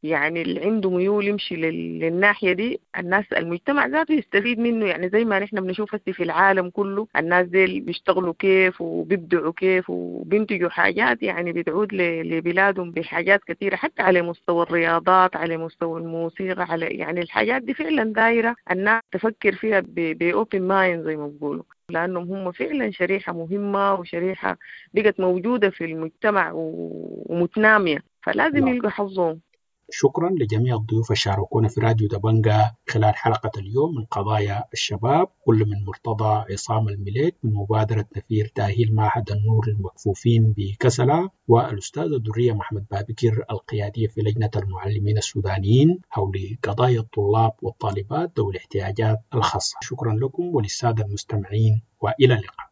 S21: يعني اللي عنده ميول يمشي للناحية دي، الناس المجتمع ذاته يستفيد منه. يعني زي ما نحن بنشوف هسه في العالم كله الناس دي بيشتغلوا كيف وبيبدعوا كيف وبينتجوا حاجات يعني بتعود لبلادهم بحاجات كثيرة، حتى على مستوى الرياضات، على مستوى الموسيقى، على يعني الحاجات دي فعلا دايرة الناس تفكر فيها ب open mind زي ما بيقولوا، لأنهم هم فعلا شريحة مهمة وشريحة بقت موجودة في المجتمع ومتنامية، فلازم يلقوا حظهم.
S17: شكرا لجميع الضيوف الشاركونا في راديو دبنجا خلال حلقة اليوم من قضايا الشباب، كل من مرتضى عصام المليك من مبادرة نفير تأهيل معهد النور للمكفوفين بكسلة، والأستاذة درية محمد بابكر القيادية في لجنة المعلمين السودانيين حول قضايا الطلاب والطالبات ذوي الاحتياجات الخاصة. شكرا لكم وللسادة المستمعين، وإلى اللقاء.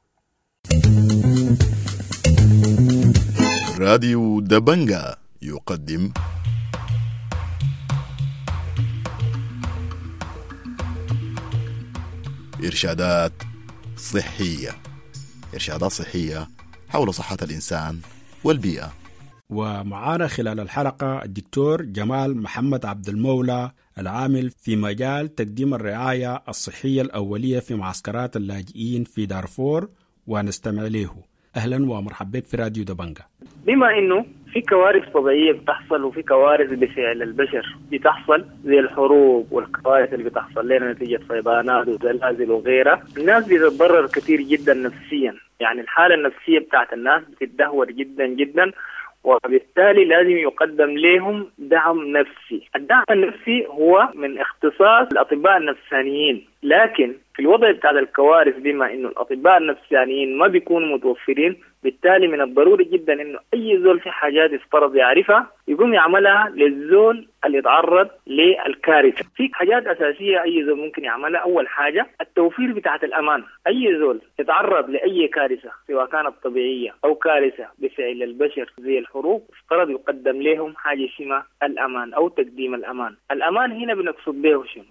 S1: راديو دبنجا يقدم إرشادات صحية، إرشادات صحية حول صحة الإنسان والبيئة.
S17: ومعانا خلال الحلقة الدكتور جمال محمد عبد المولى العامل في مجال تقديم الرعاية الصحية الأولية في معسكرات اللاجئين في دارفور، ونستمع له. أهلا ومرحبا بك في راديو دبنجا.
S3: بما إنه في كوارث طبيعية بتحصل وفي كوارث بفعل البشر بتحصل زي الحروب والكوارث اللي بتحصل لنا نتيجة فيضانات وزلازل وغيرها، الناس بتتضرر كثير جدا نفسيا، يعني الحالة النفسية بتاعت الناس بتتدهور جدا جدا، وبالتالي لازم يقدم لهم دعم نفسي. الدعم النفسي هو من اختصاص الأطباء النفسانيين، لكن في الوضع بتاع الكوارث بما إنه الأطباء النفسانيين ما بيكونوا متوفرين، بالتالي من الضروري جدا إنه أي زول في حاجات يفترض يعرفها يقوم يعملها للزول اللي يتعرض للكارثة. في حاجات أساسية أي زول ممكن يعملها. أول حاجة التوفير بتاعة الأمان. أي زول يتعرض لأي كارثة سواء كانت طبيعية أو كارثة بفعل البشر زي الحروب، افترض يقدم لهم حاجة اسمها الأمان أو تقديم الأمان. الأمان هنا بنقصد به شنو؟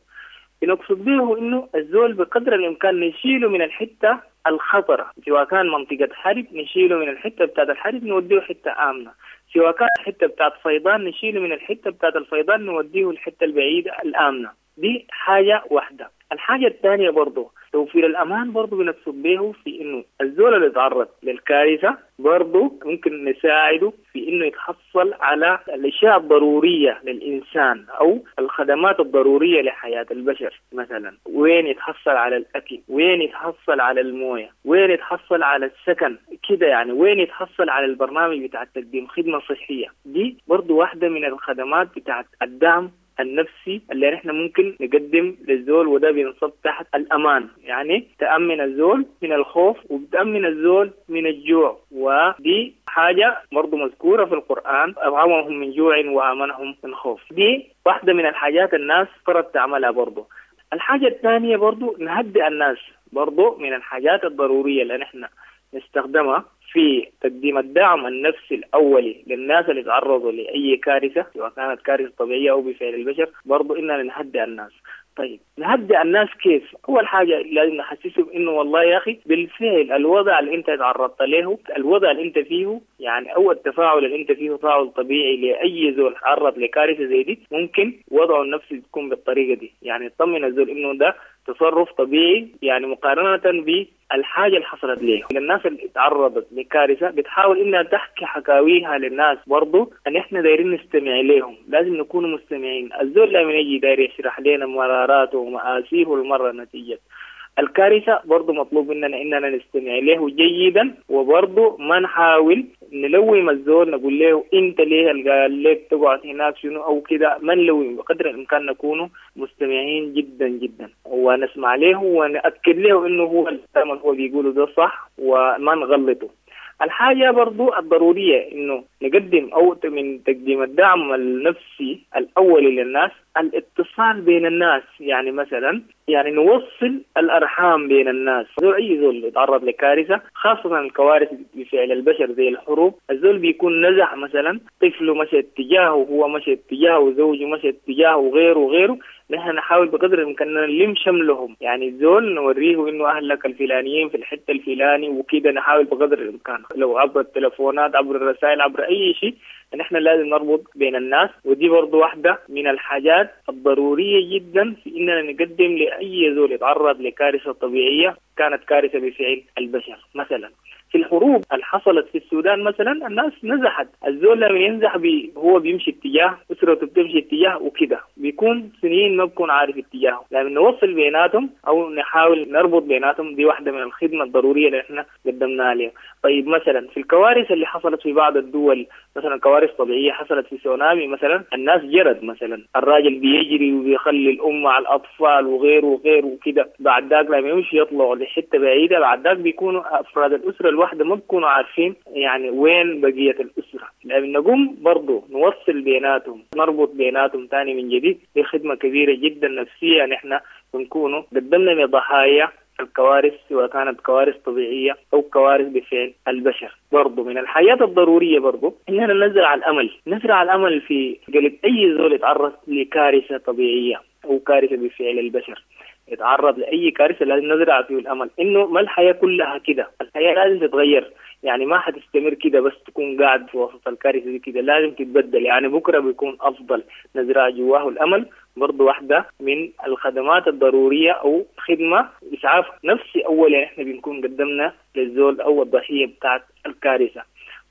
S3: بنقصد به إنه الزول بقدر الإمكان نشيله من الحتة الخطرة، سواء كان منطقة حرب نشيله من الحتة بتاعت الحرب نوديه حتة آمنة، سواء كان حتة بتاعت فيضان نشيله من الحتة بتاعت الفيضان نوديه الحتة البعيدة الآمنة. دي حاجة واحدة. الحاجة الثانية برضو توفير الأمان، برضو بنقصد به في إنه الزول اللي يتعرض للكارثة برضو ممكن نساعده في إنه يتحصل على الأشياء الضرورية للإنسان أو الخدمات الضرورية لحياة البشر. مثلا وين يتحصل على الأكل، وين يتحصل على الموية، وين يتحصل على السكن كده، يعني وين يتحصل على البرنامج بتاع تقديم خدمة صحية. دي برضو واحدة من الخدمات بتاعت الدعم النفسي اللي نحن ممكن نقدم للزول، وده بينصب تحت الأمان، يعني تأمن الزول من الخوف وبتأمن الزول من الجوع. ودي حاجة برضو مذكورة في القرآن، أطعمهم من جوع وآمنهم من خوف. دي واحدة من الحاجات الناس فرض تعملها برضو. الحاجة الثانية برضو نهدئ الناس، برضو من الحاجات الضرورية اللي نحن نستخدمها في تقديم الدعم النفسي الأولي للناس اللي تعرضوا لأي كارثة سواء كانت كارثة طبيعية أو بفعل البشر، برضو إننا نهدئ الناس. طيب نهدئ الناس كيف؟ أول حاجة لازم نحسسهم إنه والله يا أخي بالفعل الوضع اللي أنت تعرضت له، الوضع اللي أنت فيه يعني، أو التفاعل اللي أنت فيه تفاعل طبيعي لأي زول تعرض لكارثة زي دي، ممكن وضعه النفسي تكون بالطريقة دي، يعني يطمن الزول إنه ده تصرف طبيعي، يعني مقارنة بالحاجة اللي حصلت ليه. الناس اللي تعرضت لكارثة بتحاول إنها تحكي حكاويها للناس، برضو أن إحنا دايرين نستمع لهم، لازم نكون مستمعين. الزول لما يجي داير يشرح لنا مراراته ومآسيه المرة نتيجة الكارثة، برضو مطلوب مننا إننا نستمع له جيدا، وبرضو ما نحاول نلوم الزول نقول له أنت ليه قال لك تقعد هناك شنو أو كده، ما نلوم، بقدر الإمكان نكون مستمعين جدا جدا ونسمع له ونأكد له إنه هو الكلام اللي هو بيقوله ده صح وما نغلطه. الحاجة برضو الضرورية إنه نقدم أو من تقديم الدعم النفسي الأولي للناس الاتصال بين الناس. يعني مثلا يعني نوصل الأرحام بين الناس. زول أي زول يتعرض لكارثة، خاصة الكوارث بفعل البشر زي الحروب، الزول بيكون نزح مثلا، طفله مشى اتجاهه وهو مشى اتجاهه وزوجه مشى اتجاهه وغيره وغيره. نحن نحاول بقدر الإمكان نلم شملهم، يعني الزول نوريه إنه أهلك الفلانيين في الحتة الفلاني وكده. نحاول بقدر الإمكان لو عبر التلفونات، عبر الرسائل، عبر أي شيء، نحن لازم نربط بين الناس. ودي برضو واحدة من الحاجات الضرورية جدا في إننا نقدم لأي زول يتعرض لكارثة طبيعية كانت كارثة بفعل البشر. مثلا في الحروب اللي حصلت في السودان مثلا الناس نزحت، الزول لما ينزح هو بيمشي اتجاه، أسرته بتمشي اتجاه وكده، بيكون سنين ما بيكون عارف اتجاهه. لما نوصل بيناتهم أو نحاول نربط بيناتهم، دي واحدة من الخدمة الضرورية اللي احنا قدمناها لهم. طيب مثلا في الكوارث اللي حصلت في بعض الدول، مثلا كوارث طبيعية حصلت في سونامي مثلا، الناس جرت مثلا، الراجل بيجري وبيخلي الأم مع الأطفال وغيره وغيره وكده. بعد ذاك لما يمشي يطلعوا لحتة بعيدة، بعد ذاك بيكونوا أفراد الأسرة الواحدة ما بيكونوا عارفين يعني وين بقية الأسرة. لأن نقوم برضو نوصل بيناتهم، نربط بيناتهم تاني من جديد. دي خدمة كبيرة جدا نفسية نحن بنكونوا قدمنا لضحايا الكوارث، سواء كانت كوارث طبيعية أو كوارث بفعل البشر. برضو من الحياة الضرورية برضو إننا نزرع الأمل، نزرع الأمل في قلب أي زول يتعرض لكارثة طبيعية أو كارثة بفعل البشر، يتعرض لأي كارثة لازم نزرع فيه الأمل إنه ما الحياة كلها كده، الحياة لازم تتغير. يعني ما حتستمر كده بس تكون قاعد في وسط الكارثة دي كده، لازم تتبدل، يعني بكرة بيكون أفضل. نزرع جواه الأمل برضو واحدة من الخدمات الضرورية أو خدمة إسعاف نفسي أول إحنا بنكون قدمنا للزول أو الضحية بتاعت الكارثة.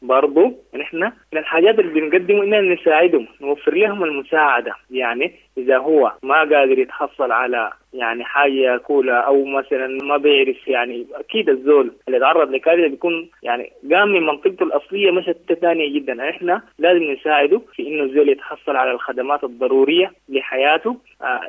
S3: برضو نحن من الحاجات اللي بنقدمه إننا نساعدهم، نوفر لهم المساعدة. يعني إذا هو ما قادر يتحصل على يعني حاجة ياكلها أو مثلا ما بيعرف، يعني أكيد الزول اللي تعرض لكارثة بيكون يعني قام من منطقته الأصلية مشت ثانية جدا. إحنا لازم نساعده في إنه الزول يتحصل على الخدمات الضرورية لحياته.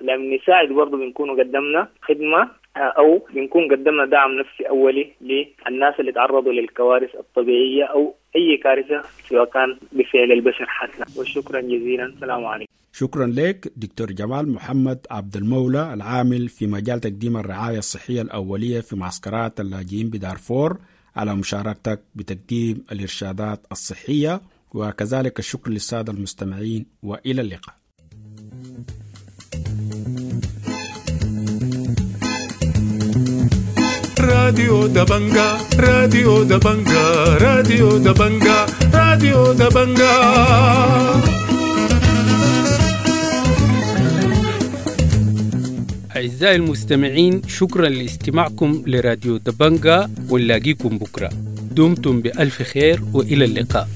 S3: لما نساعد برضو بنكون قدمنا خدمة أو بنكون قدمنا دعم نفسي أولي للناس اللي تعرضوا للكوارث الطبيعية أو أي كارثة سواء كان بفعل البشر حتى. وشكرا جزيلا، السلام عليكم.
S17: شكرا لك دكتور جمال محمد عبد المولى، العامل في مجال تقديم الرعاية الصحية الأولية في معسكرات اللاجئين بدارفور، على مشاركتك بتقديم الإرشادات الصحية، وكذلك الشكر للسادة المستمعين، وإلى اللقاء.
S4: راديو دبنجا، راديو دبنجا، راديو دبنجا، راديو دبنجا.
S10: أعزائي المستمعين، شكرا لاستماعكم لراديو دبنجا، ونلاقيكم بكرة. دمتم بألف خير وإلى اللقاء.